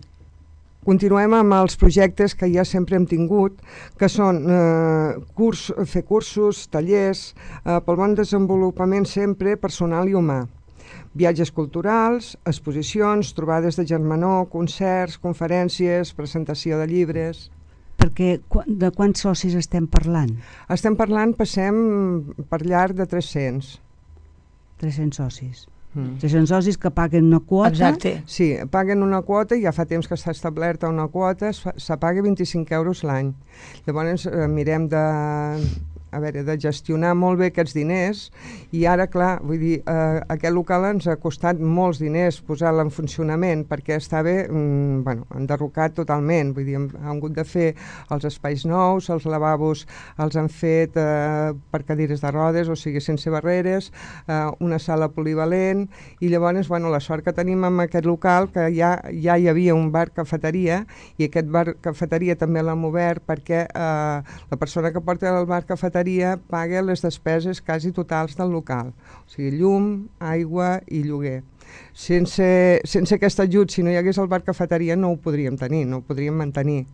Continuem amb els projectes que ja sempre hem tingut, que són eh, curs, fer cursos, tallers, eh, pel bon desenvolupament sempre personal i humà. Viatges culturals, exposicions, trobades de germanor, concerts, conferències, presentació de llibres... Perquè de quants socis estem parlant? Estem parlant, passem per llarg de tres-cents. tres-cents socis. Mm. tres-cents socis que paguen una quota. Exacte. Sí, paguen una quota i ja fa temps que està establerta una quota, se paga vint-i-cinc euros l'any. Llavors eh, mirem de, a veure, de gestionar molt bé aquests diners i ara, clar, vull dir, eh, aquest local ens ha costat molts diners posar-lo en funcionament perquè estava mm, bueno, enderrocat totalment, vull dir, hem, hem hagut de fer els espais nous, els lavabos els han fet eh, per cadires de rodes, o sigui, sense barreres, eh, una sala polivalent i llavors, bueno, la sort que tenim amb aquest local que ja, ja hi havia un bar-cafeteria i aquest bar-cafeteria també l'hem obert perquè eh, la persona que porta el bar-cafeteria paga les despeses quasi totals del local, o sigui, llum, aigua i lloguer. Sense, sense aquest ajut, si no hi hagués el bar-cafeteria, no ho podríem tenir, no ho podríem mantenir,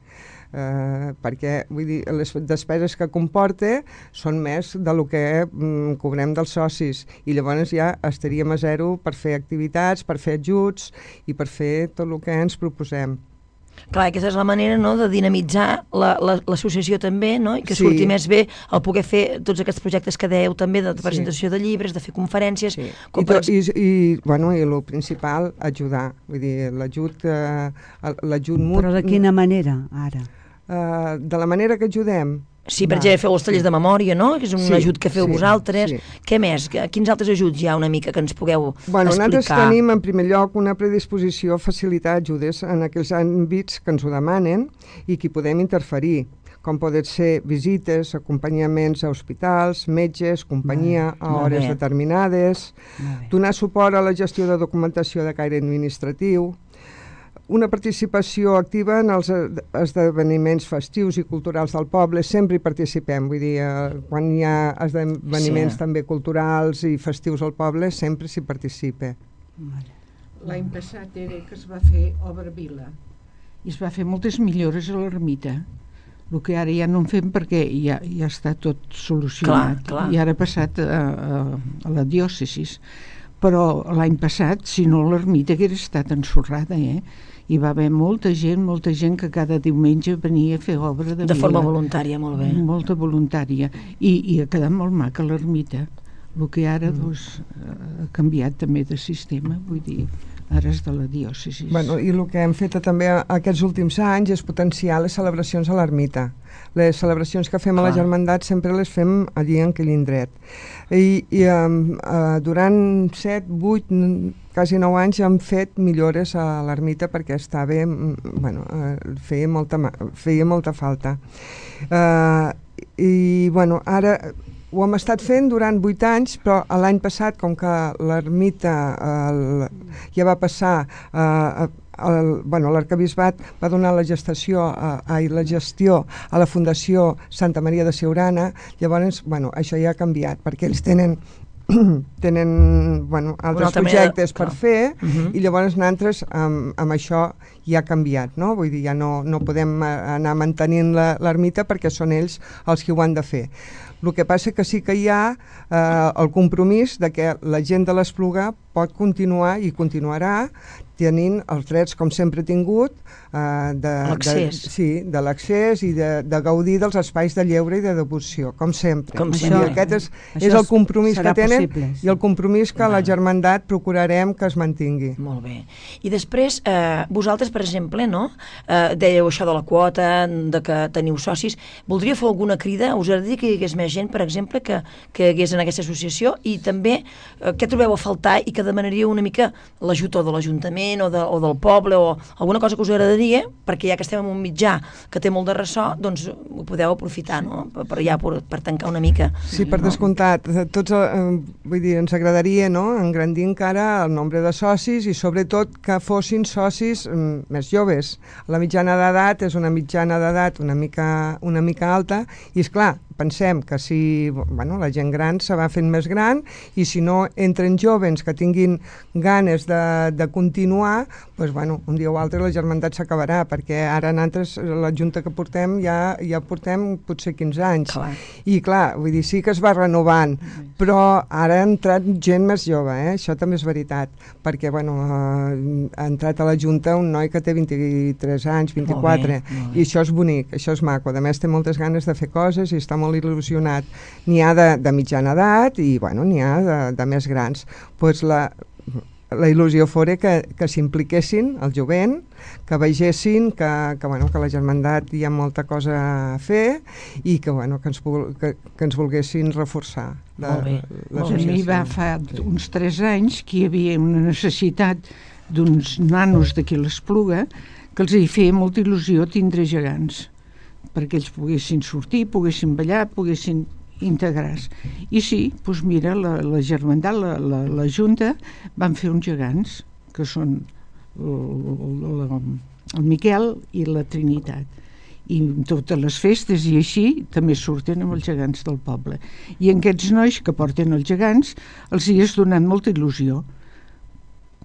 eh, perquè vull dir, les despeses que comporta són més del que mm, cobrem dels socis i llavors ja estaríem a zero per fer activitats, per fer ajuts i per fer tot el que ens proposem. Clar, aquesta és la manera, no?, de dinamitzar la- la- l'associació també, no?, i que Sí. surti més bé el poder fer tots aquests projectes que dèieu també de presentació de llibres, de fer conferències. Sí. Com I, per to, i, i, bueno, i el principal, ajudar. Vull dir, l'ajut eh, l'ajut mut... Però de quina manera, ara? Eh, de la manera que ajudem. Sí, per Va. exemple, feu els tallers de memòria, no?, que és un Sí, ajut que feu sí, vosaltres. sí. Què més? Que- Quins altres ajuts hi ha una mica que ens pugueu Bueno, nosaltres explicar? tenim en primer lloc una predisposició a facilitar ajudes en aquells àmbits que ens ho demanen i que hi podem interferir, com poden ser visites, acompanyaments a hospitals, metges, companyia a molt hores bé. determinades, Molt bé. donar suport a la gestió de documentació de caire administratiu, una participació activa en els eh, esdeveniments festius i culturals del poble, sempre hi participem, vull dir, eh, quan hi ha esdeveniments Sí. també culturals i festius al poble, sempre s'hi participa. L'any passat era que es va fer Obra Vila i es va fer moltes millores a l'ermita, el que ara ja no en fem perquè ja, ja està tot solucionat. Clar, clar. I ara ha passat a, a, a la diòcesis. Però l'any passat, si no, l'ermita hauria estat ensorrada, eh? Hi va haver molta gent, molta gent que cada diumenge venia a fer obra de, De vila. forma voluntària, molt bé. Molta voluntària. I, i ha quedat molt maca l'ermita. El que ara doncs, ha canviat també de sistema, vull dir, ara és de la diòcesi. Bueno, i el que hem fet també aquests últims anys és potenciar les celebracions a l'ermita. Les celebracions que fem a la Clar. Germandat sempre les fem allí en aquell indret. I, i um, uh, durant set, vuit, quasi nou anys hem fet millores a l'ermita perquè estava, mm, bueno, uh, feia, molta, ma- feia molta falta. Uh, I, bueno, ara ho hem estat fent durant vuit anys, però l'any passat, com que l'ermita eh, ja va passar eh, el, bueno, l'arcabisbat va donar la gestació a, a, la gestió a la Fundació Santa Maria de Siurana, llavors bueno, això ja ha canviat perquè ells tenen tenen bueno, altres altra manera de- projectes per clar. fer Mhm. i llavors nosaltres amb, amb això ja ha canviat, no? Vull dir, ja no, no podem eh, anar mantenint la- l'ermita perquè són ells els que ho han de fer. El que passa que sí que hi ha eh, el compromís de que la gent de l'Espluga pot continuar i continuarà tenint els drets, com sempre ha tingut, eh, de, de, L'accés. sí, de l'accés i de, de gaudir dels espais de lleure i de devoció, com sempre. Com Vull dir, sempre. Aquest és, Això és el compromís serà que tenen possible, sí. i el compromís que la Germandat procurarem que es mantingui. Molt bé. I després, eh, vosaltres, per exemple, no? Eh, dèieu això de la quota, de que teniu socis. Voldria fer alguna crida? Us agradaria que hi hagués més gent, per exemple, que, que hi hagués en aquesta associació? I també, eh, què trobeu a faltar i que demanaríeu una mica l'ajut o de l'Ajuntament o, de, o del poble o alguna cosa que us agradaria, perquè ja que estem en un mitjà que té molt de ressò, doncs ho podeu aprofitar, no? Per, per, ja, per, per tancar una mica. Sí, per descomptat. Tots, eh, vull dir, ens agradaria, no?, engrandir encara el nombre de socis i sobretot que fossin socis mm, més joves. La mitjana d'edat és una mitjana d'edat una mica, una mica alta i, és clar, pensem que si bueno, la gent gran se va fent més gran i si no entren jovens que tinguin ganes de, de continuar, doncs, bueno, un dia o altre la germandat s'acabarà, perquè ara nosaltres, la junta que portem, ja, ja portem potser quinze anys. Clar. I clar, vull dir, sí que es va renovant, però ara ha entrat gent més jove, eh? Això també és veritat, perquè bueno, eh, ha entrat a la junta un noi que té vint-i-tres anys, vint-i-quatre, Molt bé, molt bé. i això és bonic, això és maco. A més, té moltes ganes de fer coses i està molt il·lusionat. N'hi ha de, de mitjana edat i bueno, n'hi ha de, de més grans. Pues la, la il·lusió fora que, que s'impliquessin, el jovent, que vegessin que, que, bueno, que la germandat hi ha molta cosa a fer i que, bueno, que, ens, vul- que, que ens volguessin reforçar. La, Molt bé, A mi va fa uns tres anys que hi havia una necessitat d'uns nanos d'aquí a l'Espluga que els hi feia molta il·lusió tindre gegants perquè ells poguessin sortir, poguessin ballar, poguessin integrar-se. I sí, doncs mira, la, la germandat, la, la, la Junta, van fer uns gegants, que són el, el, el Miquel i la Trinitat. I totes les festes i així també surten amb els gegants del poble. I en aquests nois que porten els gegants els hi has donat molta il·lusió.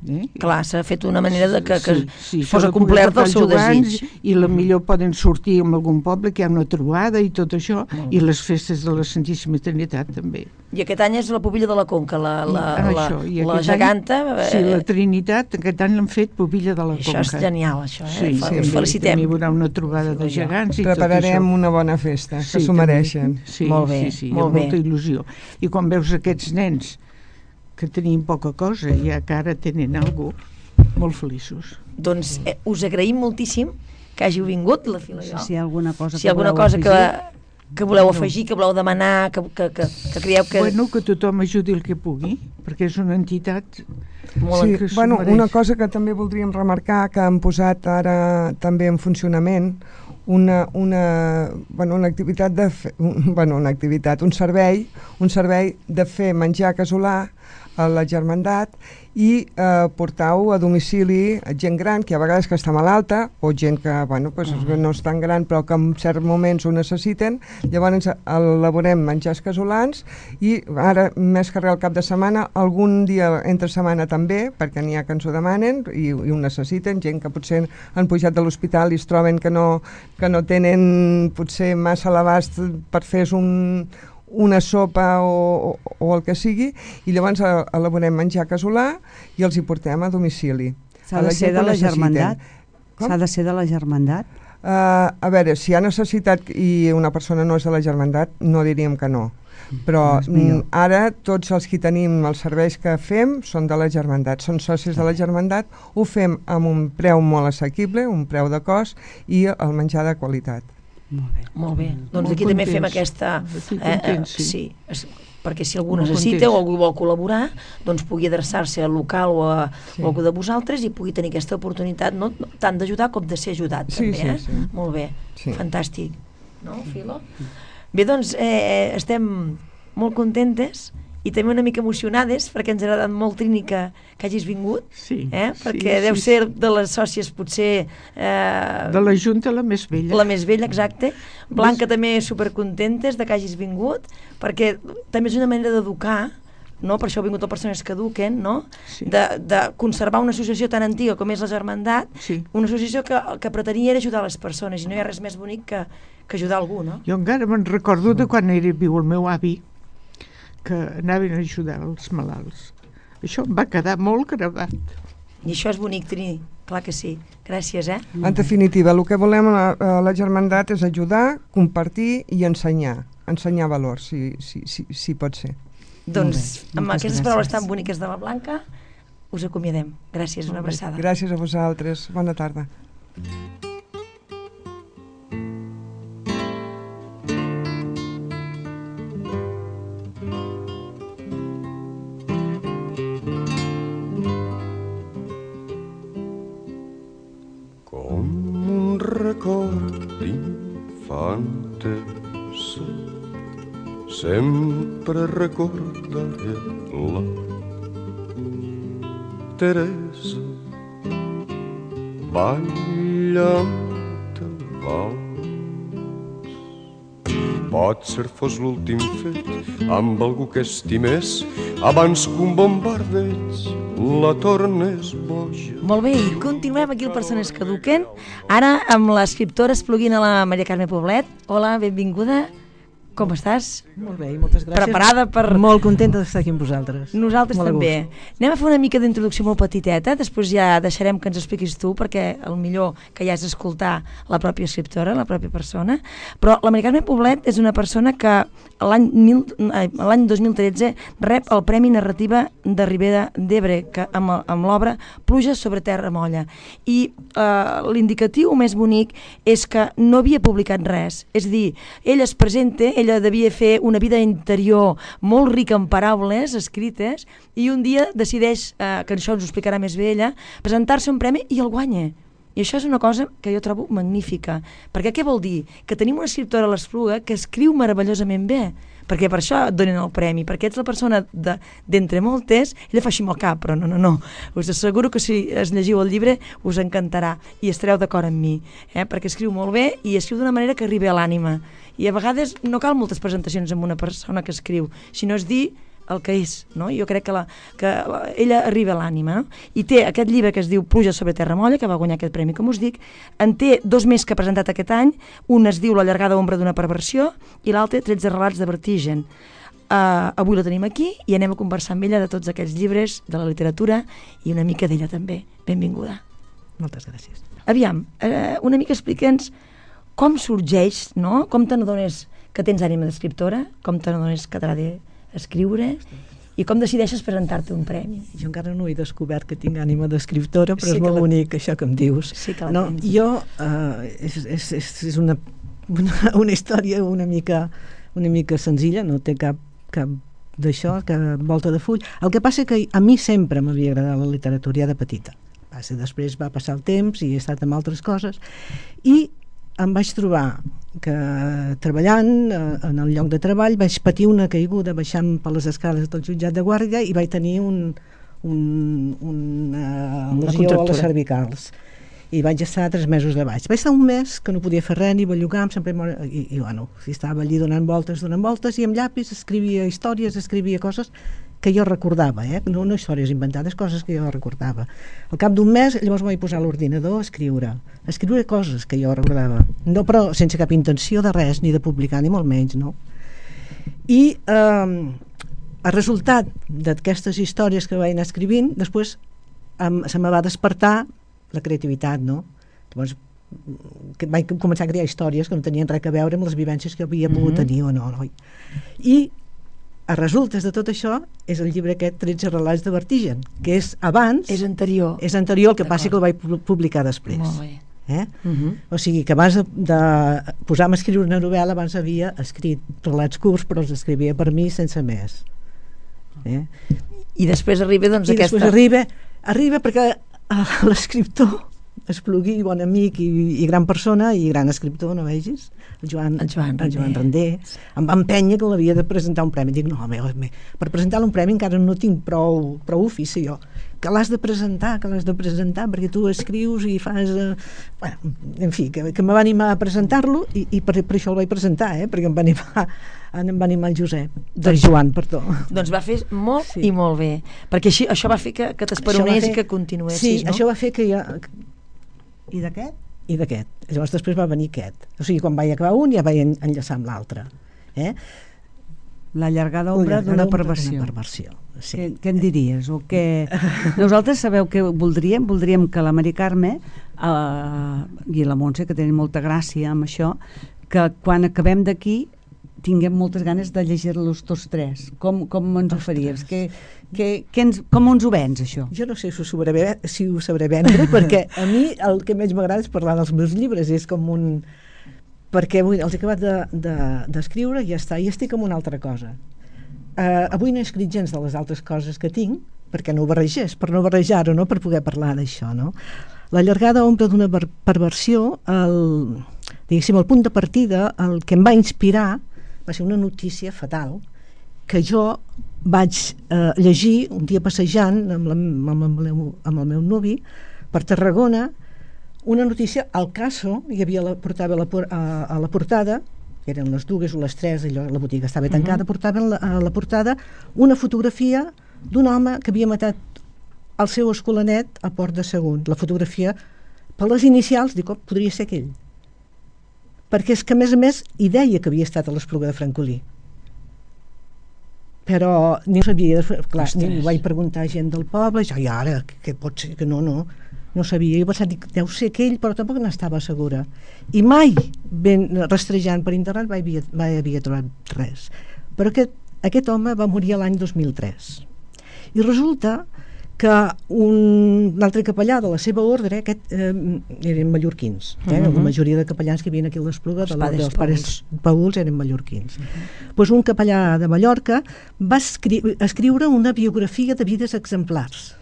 Eh? Clar, s'ha fet una manera de que, que sí, sí, fos complert el seu desig. I la millor poden sortir en algun poble que hi ha una trobada i tot això, mm. i les festes de la Santíssima Trinitat també. I aquest any és la Pubilla de la Conca, la, la, I, la, això, i la geganta. Any, sí, la Trinitat, aquest any l'han fet Pubilla de la això Conca. Això és genial, això, eh? Sí, sí, sí, felicitem. També hi haurà una trobada de gegants i prepararem tot això. una bona festa, que sí, s'ho mereixen. Sí, molt bé, sí, sí, molt amb bé. molta il·lusió. I quan veus aquests nens que tenien poca cosa i ja que ara tenen alguna cosa, molt feliços. Doncs eh, us agraïm moltíssim que hàgiu vingut, la Fila i jo. Si hi ha alguna cosa si hi ha alguna cosa que, que voleu afegir, que voleu demanar, que, que, que, que creieu que... Bueno, que tothom ajudi el que pugui, perquè és una entitat molt sí, que bueno, una cosa que també voldríem remarcar, que han posat ara també en funcionament, una, una, bueno, una activitat de fe, un, bueno, una activitat, un servei, un servei de fer menjar casolà a la Germandat i eh, portar-ho a domicili a gent gran, que a vegades que està malalta, o gent que, bueno, pues, no és tan gran però que en certs moments ho necessiten. Llavors elaborem menjars casolans i ara, més que res al cap de setmana, algun dia entre setmana també, perquè n'hi ha que ens ho demanen i, i ho necessiten, gent que potser han pujat de l'hospital i es troben que no, que no tenen potser massa a l'abast per fer un una sopa o, o, o el que sigui, i llavors elaborem menjar casolà i els hi portem a domicili. S'ha de ser de la Germandat? S'ha de ser de la Germandat? Uh, a veure, si hi ha necessitat i una persona no és de la Germandat, no diríem que no. Però mm, ara tots els que tenim els serveis que fem són de la Germandat, són socis de la Germandat, ho fem amb un preu molt assequible, un preu de cost i el menjar de qualitat. Molt bé. Molt bé. Mm, doncs molt aquí contents. també fem aquesta... Eh, contents, sí. sí, es, perquè si algú Molt necessita contents. o algú vol col·laborar, doncs pugui adreçar-se al local o a, sí. o a algú de vosaltres i pugui tenir aquesta oportunitat no, no, tant d'ajudar com de ser ajudat, sí, també, eh? Sí, sí. Molt bé, sí. Fantàstic. No, Filo? Bé, doncs eh, estem molt contentes i també una mica emocionades perquè ens ha agradat molt, Trini, que, que hagis vingut, sí, eh? perquè sí, deu sí, ser de les sòcies potser... Eh, de la Junta la més vella. La més vella, exacte. Blanca Des... també supercontentes de que hagis vingut, perquè també és una manera d'educar, no? Per això ha vingut a persones que eduquen, no? Sí. De, de conservar una associació tan antiga com és la Germandat, sí. Una associació que, que pretenia era ajudar les persones i no hi ha res més bonic que, que ajudar algú, no? Jo encara me'n recordo de quan era viu el meu avi, que anaven a ajudar els malalts. Això em va quedar molt gravat. I això és bonic, Trini, clar que sí. Gràcies, eh? En definitiva, el que volem a la, a la Germandat és ajudar, compartir i ensenyar. Ensenyar valors, si, si, si, si pot ser. Doncs amb aquestes paraules tan boniques de la Blanca us acomiadem. Gràcies, una abraçada. Gràcies a vosaltres. Bona tarda. Record d'infantes, sempre recordaré la Teresa ballant el vals. Potser fos l'últim fet amb algú que estimés abans que un bombardeig la tornes boja. Molt bé, i continuem aquí el Persones que Eduquen, ara amb l'escriptora Espluguina, la Maria Carme Poblet. Hola, benvinguda. Com estàs? Molt bé, i moltes gràcies. Preparada per... Molt contenta d'estar aquí amb vosaltres. Nosaltres molt també. Anem a fer una mica d'introducció molt petiteta, després ja deixarem que ens expliquis tu, perquè el millor que hi has d'escoltar la pròpia escriptora, la pròpia persona. Però la Maria Carme Poblet és una persona que l'any dos mil tretze rep el Premi Narrativa de Ribera d'Ebre, que amb, amb l'obra Pluja sobre terra molla. I eh, l'indicatiu més bonic és que no havia publicat res. És a dir, ella es presenta, ella devia fer una vida interior molt rica en paraules escrites i un dia decideix, eh, que això ens ho explicarà més bé ella, presentar-se un premi i el guanya. I això és una cosa que jo trobo magnífica. Perquè què vol dir? Que tenim una escriptora a l'Espluga que escriu meravellosament bé. Perquè per això et donen el premi, perquè ets la persona d'entre de, moltes, ella fa així amb el cap, però no, no, no. Us asseguro que si es llegiu el llibre us encantarà i estareu d'acord amb mi, eh? Perquè escriu molt bé i escriu d'una manera que arribi a l'ànima. I a vegades no cal moltes presentacions amb una persona que escriu, sinó és dir el que és, no? Jo crec que, la, que la, ella arriba a l'ànima, no? I té aquest llibre que es diu Pluja sobre terra molla, que va guanyar aquest premi, com us dic, en té dos més que ha presentat aquest any, un es diu La llargada ombra d'una perversió i l'altre tretze relats de vertigen. Uh, avui la tenim aquí i anem a conversar amb ella de tots aquells llibres, de la literatura i una mica d'ella també. Benvinguda. Moltes gràcies. Aviam, uh, una mica explica'ns com sorgeix, no? Com te n'adones que tens ànima d'escriptora, com te n'adones que t'agrada escriure i com decideixes presentar-te un premi. Jo encara no he descobert que tinc ànima d'escriptora, però Sí és que molt la- bonic això que em dius. Sí que la no, tens. jo, uh, és, és, és, és una, una, una història una mica, una mica senzilla, no té cap, cap d'això, cap volta de full. El que passa que a mi sempre m'havia agradat la literatura ja de petita. Passa, després va passar el temps i he estat amb altres coses i em vaig trobar que treballant eh, en el lloc de treball vaig patir una caiguda baixant per les escales del jutjat de guàrdia i vaig tenir un, un, una Una lesió a contractura. les cervicals i vaig estar tres mesos de baix. Vaig estar un mes que no podia fer res ni bellugar, sempre mor... I, i bueno, estava allí donant voltes, donant voltes i amb llapis escrivia històries, escrivia coses que jo recordava, eh? no, no històries inventades, coses que jo recordava. Al cap d'un mes llavors em vaig posar a l'ordinador a escriure, a escriure coses que jo recordava, no, però sense cap intenció de res, ni de publicar, ni molt menys, no? I eh, el resultat d'aquestes històries que vaig anar escrivint, després em, se me va despertar la creativitat, no? Llavors que vaig començar a crear històries que no tenien res a veure amb les vivències que havia pogut Mhm. tenir o no, no? I a resultes de tot això és el llibre aquest tretze relats de vertigen, que és abans, És anterior. és anterior, el que passa que el vaig pu- publicar després. Molt bé. Eh? Uh-huh. O sigui que abans de, de posar-me a escriure una novel·la abans havia escrit relats curts però els escrivia per mi sense més. Eh? I després arriba doncs I aquesta... després arriba, arriba perquè eh, l'escriptor Esplugui, bon amic i, i gran persona i gran escriptor, no vegis? El Joan, El Joan el Joan Render. Render. Em va empènyer que l'havia de presentar un premi. Dic, no, home, home, per presentar un premi encara no tinc prou, prou ofici jo. Que l'has de presentar, que l'has de presentar, perquè tu escrius i fas... Eh, bueno, en fi, que, que me va animar a presentar-lo i, i per, per això el vaig presentar, eh, perquè em va animar, em va animar el Josep, el Joan, perdó. Doncs va fer molt Sí. i molt bé, perquè així, això va fer que, que t'esperonés i que continuessis, sí, no? això va fer que ja... I d'aquest? I d'aquest. Llavors després va venir aquest. O sigui, quan vaig acabar un ja vaig en- enllaçar amb l'altre. Eh? La llargada ombra La llargada d'una ombra perversió. d'una perversió, sí. Què, què en diries? O què... Nosaltres sabeu que voldríem? Voldríem que la Mari Carme eh, i la Montse, que tenen molta gràcia amb això, que quan acabem d'aquí tinguem moltes ganes de llegir-los tots tres. Com, com ens ho faries? Que, que, que ens, com ens ho vens, això? Jo no sé si ho sabré, si ho sabré vendre, perquè a mi el que més m'agrada és parlar dels meus llibres, és com un... perquè avui els he acabat d'escriure de, i ja està, i estic amb una altra cosa. Uh, avui no he escrit gens de les altres coses que tinc, perquè no ho barregés, per no barrejar-ho, no? Per poder parlar d'això, no? La llargada ombra d'una perversió, el, diguéssim, el punt de partida, el que em va inspirar va ser una notícia fatal que jo vaig eh, llegir un dia passejant amb, la, amb, el meu, amb el meu nuvi per Tarragona, una notícia al caso, hi havia la, portava la, a, a la portada, que eren les dues o les tres, allò, la botiga estava tancada, uh-huh. portaven la, a la portada una fotografia d'un home que havia matat el seu escolanet a Port de Sagunt. La fotografia, per les inicials, dic, oh, podria ser aquell. Perquè és que, a més a més, hi deia que havia estat a l'Espluga de Francolí. Però ni ho sabia, clar, ni ho vaig preguntar a gent del poble, jo, i ara, què pot ser? Que no, no, no sabia. Jo pensava, dic, deu ser aquell, però tampoc n'estava segura. I mai, ben rastrejant per internet, mai havia, mai havia trobat res. Però aquest, aquest home va morir l'any dos mil tres. I resulta que un, un altre capellà de la seva ordre, aquest eh, eren mallorquins, eh? Uh-huh. La majoria de capellans que hi havia aquí a l'Espluga de l'ordre dels pares Pauls eren mallorquins. Uh-huh. Pues un capellà de Mallorca va escri escriure una biografia de vides exemplars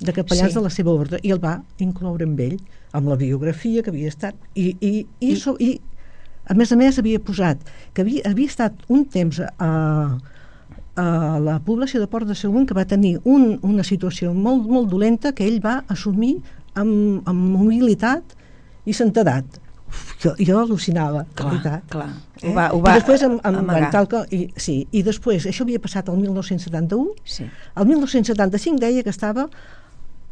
de capellans sí. de la seva ordre i el va incloure amb ell, amb la biografia que havia estat i, i, i, I, so, i a més a més havia posat que havia, havia estat un temps a a la població de Port de Sagunt que va tenir un, una situació molt, molt dolenta que ell va assumir amb, amb humilitat i santedat, jo, jo al·lucinava, Clar, la veritat. clar. Eh? Ho va- ho va I després, amb, amb, amagar. amb tal que, i, sí, i després, això havia passat el mil nou-cents setanta-u, Sí. el mil nou-cents setanta-cinc deia que estava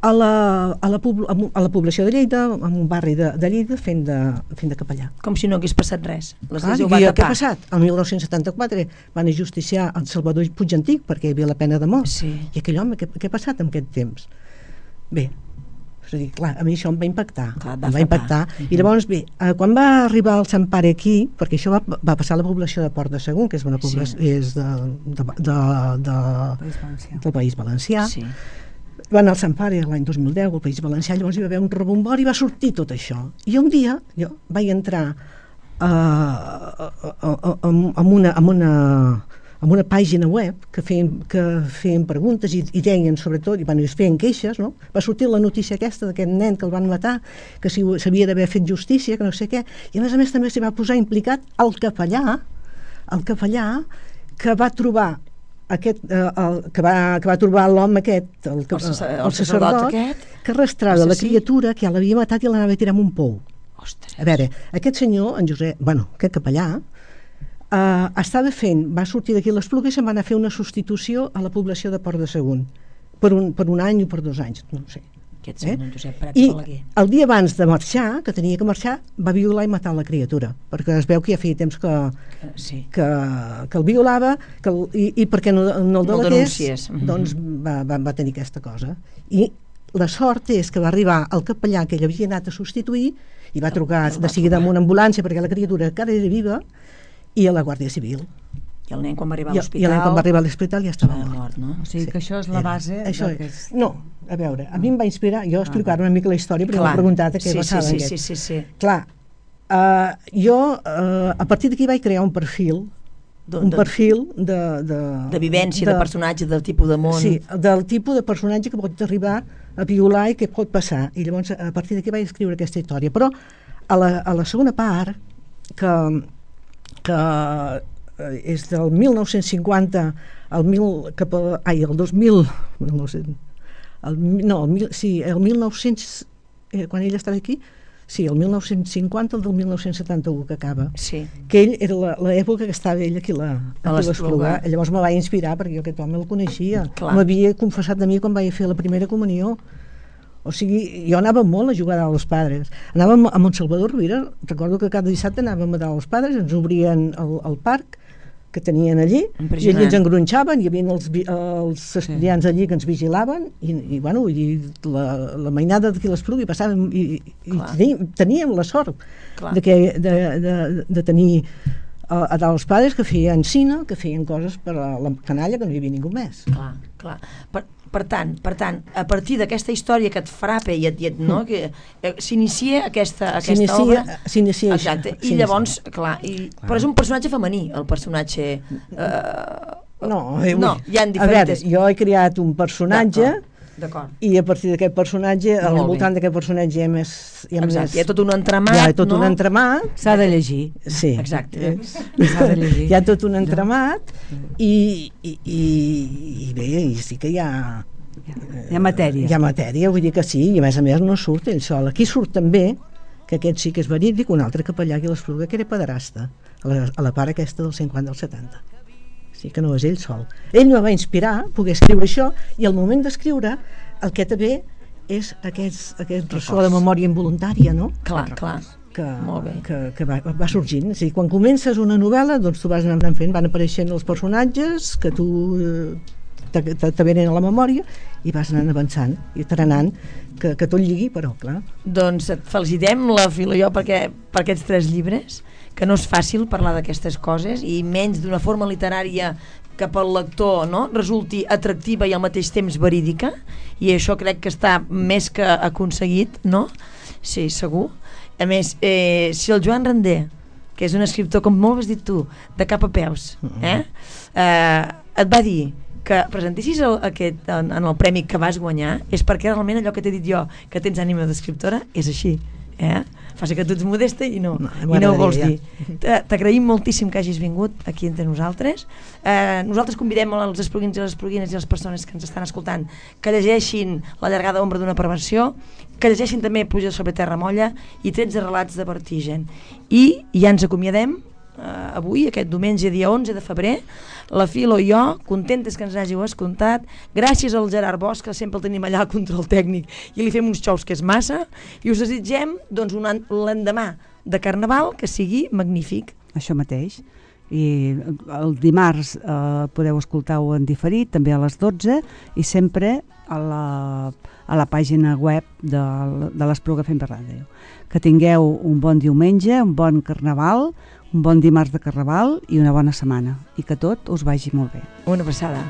a la, a la, pobl- a la població de Lleida, en un barri de, de Lleida, fent de, fent de capellà. Com si no hagués passat res. Clar, L'església ho i va què ha tapar. passat? El mil nou-cents setanta-quatre van ajusticiar el Salvador Puig Antic perquè hi havia la pena de mort. Sí. I aquell home, què, què ha passat en aquest temps? Bé, és a dir, clar, a mi això em va impactar. Clar, va em va frapar. impactar. Mhm. I llavors, bé, eh, quan va arribar el Sant Pare aquí, perquè això va, va passar a la població de Port de Segur, que és una població, Sí. és de, de, de, de, País Valencià. del País Valencià. Sí. Va anar al Sant Pare l'any dos mil deu al País Valencià, llavors hi va haver un rebombori i va sortir tot això. I un dia jo vaig entrar uh, amb, una, amb, una, amb una pàgina web que feien, que feien preguntes i, i deien sobretot, i bueno, es feien queixes, no? Va sortir la notícia aquesta d'aquest nen que el van matar, que si s'havia d'haver fet justícia, que no sé què, i a més a més també s'hi va posar implicat el capellà, el capellà que va trobar aquest, eh, el, que, va, que va trobar l'home aquest, el, El sacer- el el sacerdot sacerdot, aquest, que arrastrava la assassí. criatura que ja l'havia matat i l'anava a tirar en un pou. Ostres. A veure, aquest senyor, en Josep, bueno, aquest capellà, eh, estava fent, va sortir d'aquí a l'Espluga i se'n va anar a fer una substitució a la població de Port de Segur, per un, per un any o per dos anys, no ho sé. Aquest Eh? senyor, Josep Prats I Balaguer. el dia abans de marxar, que tenia que marxar, va violar i matar la criatura, perquè es veu que ja feia temps que, Sí. que, que el violava que el, i, i perquè no, no el No el delatés, denuncies. Mhm. doncs va, va, va tenir aquesta cosa. I la sort és que va arribar el capellà que ell havia anat a substituir i va trucar el va de seguida amb trobar. una ambulància perquè la criatura encara era viva i a la Guàrdia Civil. I el nen quan va arribar a I, l'hospital... I el nen quan va arribar a l'hospital ja estava estava mort. mort, no? O sigui que això és la Era- base això del que és. és... No, a veure, a mi em va inspirar, jo explicar una mica la història perquè Clar. m'ha preguntat a què sí, passava sí, sí, aquest. sí, sí, sí. Clar, uh, jo uh, a partir d'aquí vaig crear un perfil De, un de, perfil de... De, de vivència, de, de personatge, del tipus de món. Sí, del tipus de personatge que pot arribar a violar i que pot passar. I llavors a partir d'aquí vaig escriure aquesta història. Però a la, a la segona part, que, que eh, és del mil nou-cents cinquanta al mil, cap a, ai, el dos mil, mil nou-cents, el, no, el, mil- sí, el mil nou-cents, eh, quan ell estava aquí, sí, el mil nou-cents cinquanta, el del mil nou-cents setanta-u que acaba. Sí. Que ell era la- l'època que estava ell aquí a la, A aquí a l'Espluga. l'Espluga. Llavors me va inspirar perquè jo aquest home el coneixia. Clar. M'havia confessat de mi quan vaig fer la primera comunió. O sigui, jo anava molt a jugar a los Padres. Anàvem a Montsalvador Rovira, recordo que cada dissabte anàvem a dar als Padres, ens obrien el, el parc que tenien allí, i Impressionant. allí ens engronxaven, hi havia els, vi- els estudiants allí que ens vigilaven, i, i bueno, i la, la mainada d'aquí a l'Espluga, i passàvem, i, i Clar. teníem, teníem la sort Clar. de, que, de, de, de tenir a, a dalt els Padres que feien cine, que feien coses per a la canalla, que no hi havia ningú més. Clar, clar. Per, per tant, per tant, a partir d'aquesta història que et frapa i et, i et no, que eh, s'inicia aquesta, aquesta S'inicia- obra. s'inicia això, Exacte. I s'inicia. llavors, clar, i, però és un personatge femení, el personatge... Eh, No, eh, no, hi ha a veure, diferents... jo he creat un personatge D'acord. i a partir d'aquest personatge, al Molt bé. voltant d'aquest personatge hi ha més... Hi ha, Exacte, més, hi ha tot un entramat, hi ha tot no? un entramat. S'ha de llegir. Sí. Exacte. S'ha de llegir. Hi ha tot un entramat i, i, i, i bé, i sí que hi ha... Hi ha matèria. Hi ha matèria, vull dir que sí, i a més a més no surt ell sol. Aquí surt també, que aquest sí que és verídic, un altre capellà aquí a l'Espluga, que era pederasta, a la, a la part aquesta del cinquanta al setanta. Sí que no és ell sol. Ell me va inspirar a poder escriure això, i al moment d'escriure el que també és aquest, aquest ressò de memòria involuntària, no? Clar, clar. Que, Molt bé. que, que va, va sorgint. És a dir, quan comences una novel·la, doncs tu vas anant fent, van apareixent els personatges que tu eh, te, te, te venen a la memòria i vas anant avançant i taranant que, que tot lligui, però clar. Doncs et felicitem, la Filo i jo, perquè, per aquests tres llibres, que no és fàcil parlar d'aquestes coses, i menys d'una forma literària que pel lector, no?, resulti atractiva i al mateix temps verídica, i això crec que està més que aconseguit, no? Sí, segur. A més, eh, si el Joan Render, que és un escriptor, com molt has dit tu, de cap a peus, eh, eh et va dir que presentessis el, aquest, en, en el premi que vas guanyar, és perquè realment allò que t'he dit jo, que tens ànima d'escriptora, és així. Eh? Fa ser que tu ets modesta i no, No, i no ho vols m'agradaria, dir. T- T'agraïm moltíssim que hagis vingut aquí entre nosaltres. Eh, nosaltres convidem els espluguins i les espluguines i les persones que ens estan escoltant que llegeixin La llargada ombra d'una perversió, que llegeixin també Pluja sobre terra molla i tretze relats de vertigen. I ja ens acomiadem eh, avui, aquest diumenge, dia onze de febrer, la Filo i jo, contentes que ens hàgiu escoltat, gràcies al Gerard Bosch, que sempre el tenim allà al control tècnic i li fem uns xous que és massa, i us desitgem doncs, un l'endemà de Carnaval que sigui magnífic. Això mateix. I el dimarts eh, podeu escoltar-ho en diferit, també a les dotze, i sempre a la, a la pàgina web de, de l'Espluga F M Ràdio. Que tingueu un bon diumenge, un bon Carnaval, un bon dimarts de Carnaval i una bona setmana. I que tot us vagi molt bé. Una passada.